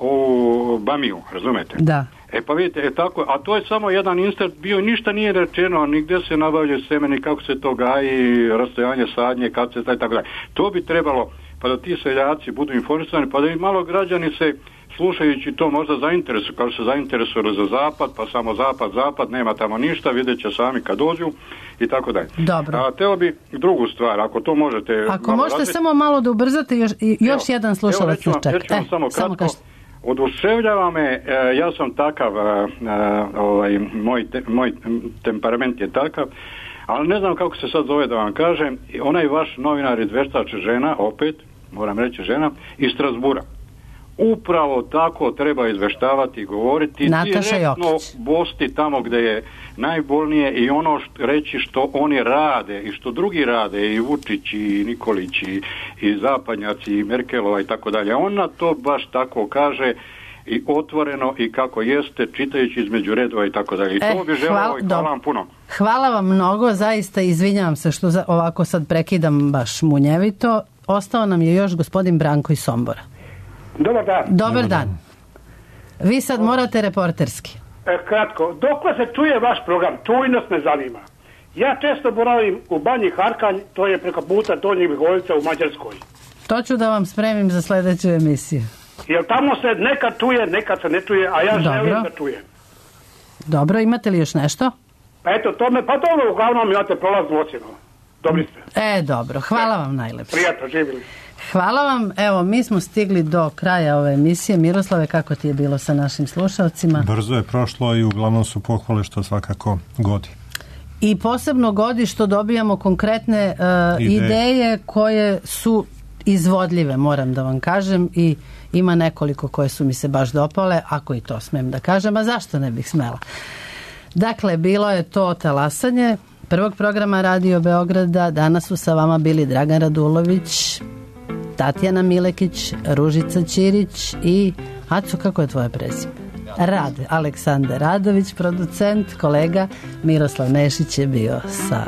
S22: u Bamiju, razumete?
S5: Da.
S22: E pa vidite, e tako, a to je samo jedan insert bio, ništa nije rečeno, nigdje se nabavljaju semeni, kako se to gaji, rastojanje sadnje, kad se taj, tako dalje. To bi trebalo, pa da ti seljaci budu informisani, pa da i malo građani se, slušajući to, možda zainteresuju, kao se zainteresovali za zapad, pa samo zapad, zapad, nema tamo ništa, vidjet će sami kad dođu i tako dalje.
S5: Dobro.
S22: A teo bi drugu stvar, ako to možete...
S5: Ako možete razviti, samo malo da ubrzate, još, još
S22: evo,
S5: jedan slušalac nas čeka.
S22: Evo, samo kratko. Oduševljava me, e, ja sam takav, e, ovaj, moj, te, moj temperament je takav, ali ne znam kako se sad zove da vam kažem, onaj vaš novinar izveštač žena, opet, moram reći žena, iz Strasbura. Upravo tako treba izveštavati i govoriti,
S5: Nataša
S22: direktno
S5: Jokić.
S22: bosti tamo gdje je najbolnije i ono što, reći što oni rade i što drugi rade, i Vučić i Nikolić i, i Zapadnjaci i Merkelova i tako dalje. Ona to baš tako kaže i otvoreno i kako jeste, čitajući između redova i tako dalje. I to
S5: e,
S22: bi želeo i hvala vam puno.
S5: Hvala vam mnogo, zaista izvinjavam se što za, ovako sad prekidam baš munjevito. Ostao nam je još gospodin Branko iz Sombora.
S2: Dobar dan.
S5: Dobar dan. Vi sad morate reporterski.
S2: E, kratko, dokle se čuje vaš program? Čujnost me zanima. Ja često boravim u Banji Harkanj, to je preko puta Donjih Miholjica u Mađarskoj.
S5: To ću da vam spremim za sljedeću emisiju.
S2: Jer tamo se nekad čuje, nekad se ne čuje, a ja
S5: Dobro.
S2: želim da čujem.
S5: Dobro, imate li još nešto?
S2: Pa eto, to me, pa dobro, uglavnom imate prolaznu ocjenu. Dobri ste.
S5: E, dobro, hvala vam najlepše.
S2: Prijatno, živjeli.
S5: Hvala vam, evo, mi smo stigli do kraja ove emisije. Miroslave, kako ti je bilo sa našim slušalcima?
S3: Brzo je prošlo i uglavnom su pohvale što svakako godi.
S5: I posebno godi što dobijamo konkretne uh, ideje. ideje koje su izvodljive, moram da vam kažem, i ima nekoliko koje su mi se baš dopale, ako i to smem da kažem, a zašto ne bih smela? Dakle, bilo je to talasanje prvog programa Radio Beograda. Danas su sa vama bili Dragan Radulović, Tatjana Milekić, Ružica Ćirić i Aco, kako je tvoje prezime? Rade, Aleksandar Radović, producent, kolega Miroslav Nešić je bio sa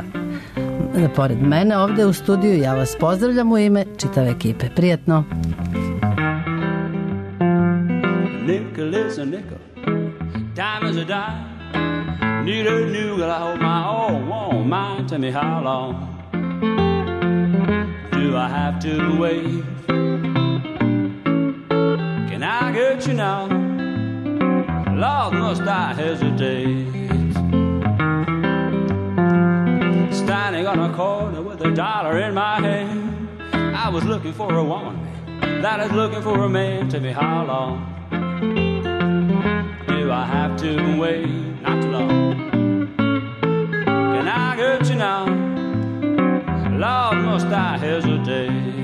S5: pored mene ovdje u studiju. Ja vas pozdravljam u ime čitave ekipe. Prijetno.
S4: Nickel is a nickel, dime is a dime. Need a new girl, I hope my old won't mind. Tell me how long do I have to wait? Can I get you now? Lord, must I hesitate? Standing on a corner with a dollar in my hand, I was looking for a woman that is looking for a man. Tell me how long do I have to wait? Not too long. Can I get you now? Lord, must I hesitate?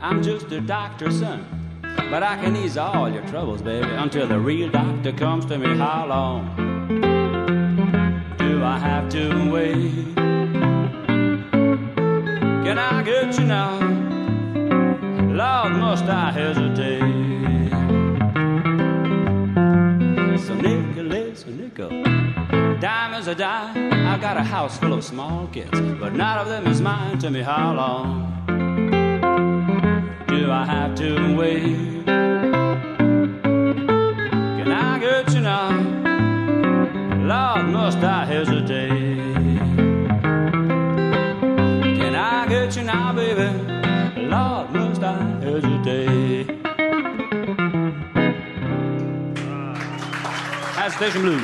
S4: I'm just a doctor's son, but I can ease all your troubles, baby, until the real doctor comes to me. How long do I have to wait? Can I get you now? Lord, must I hesitate? So nickel is a nickel, dime is a dime. I got a house full of small kids, but none of them is mine. Tell me how long do I have to wait? Can I get you now? Lord, must I hesitate? has Station Blues.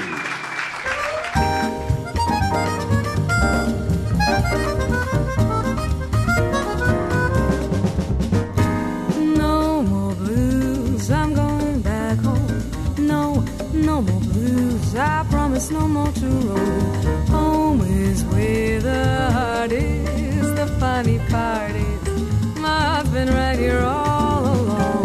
S13: No more blues, I'm going back home. No, no more blues, I promise no more to roam. Home is where the heart is, the funny part is I've been right here all along.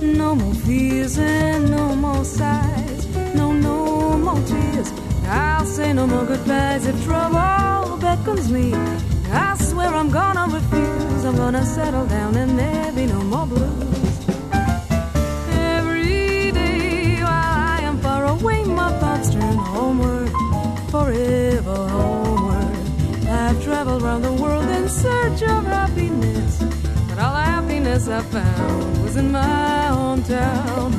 S13: No more fears and no more sighs, no, no more tears. I'll say no more goodbyes if trouble beckons me. I swear I'm gonna refuse, I'm gonna settle down and there be no more blues. Every day while I am far away, my thoughts turn homeward, forever homeward. I've traveled around the world in search of happiness, but all the happiness I found was in my hometown.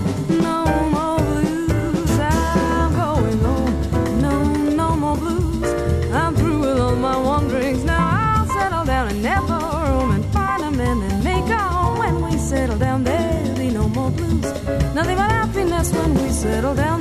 S13: No more blues, I'm going home. No, no more blues, I'm through with all my wanderings. Now I'll settle down and never roam and find a man and make a home. When we settle down, there'll be no more blues. Nothing but happiness when we settle down.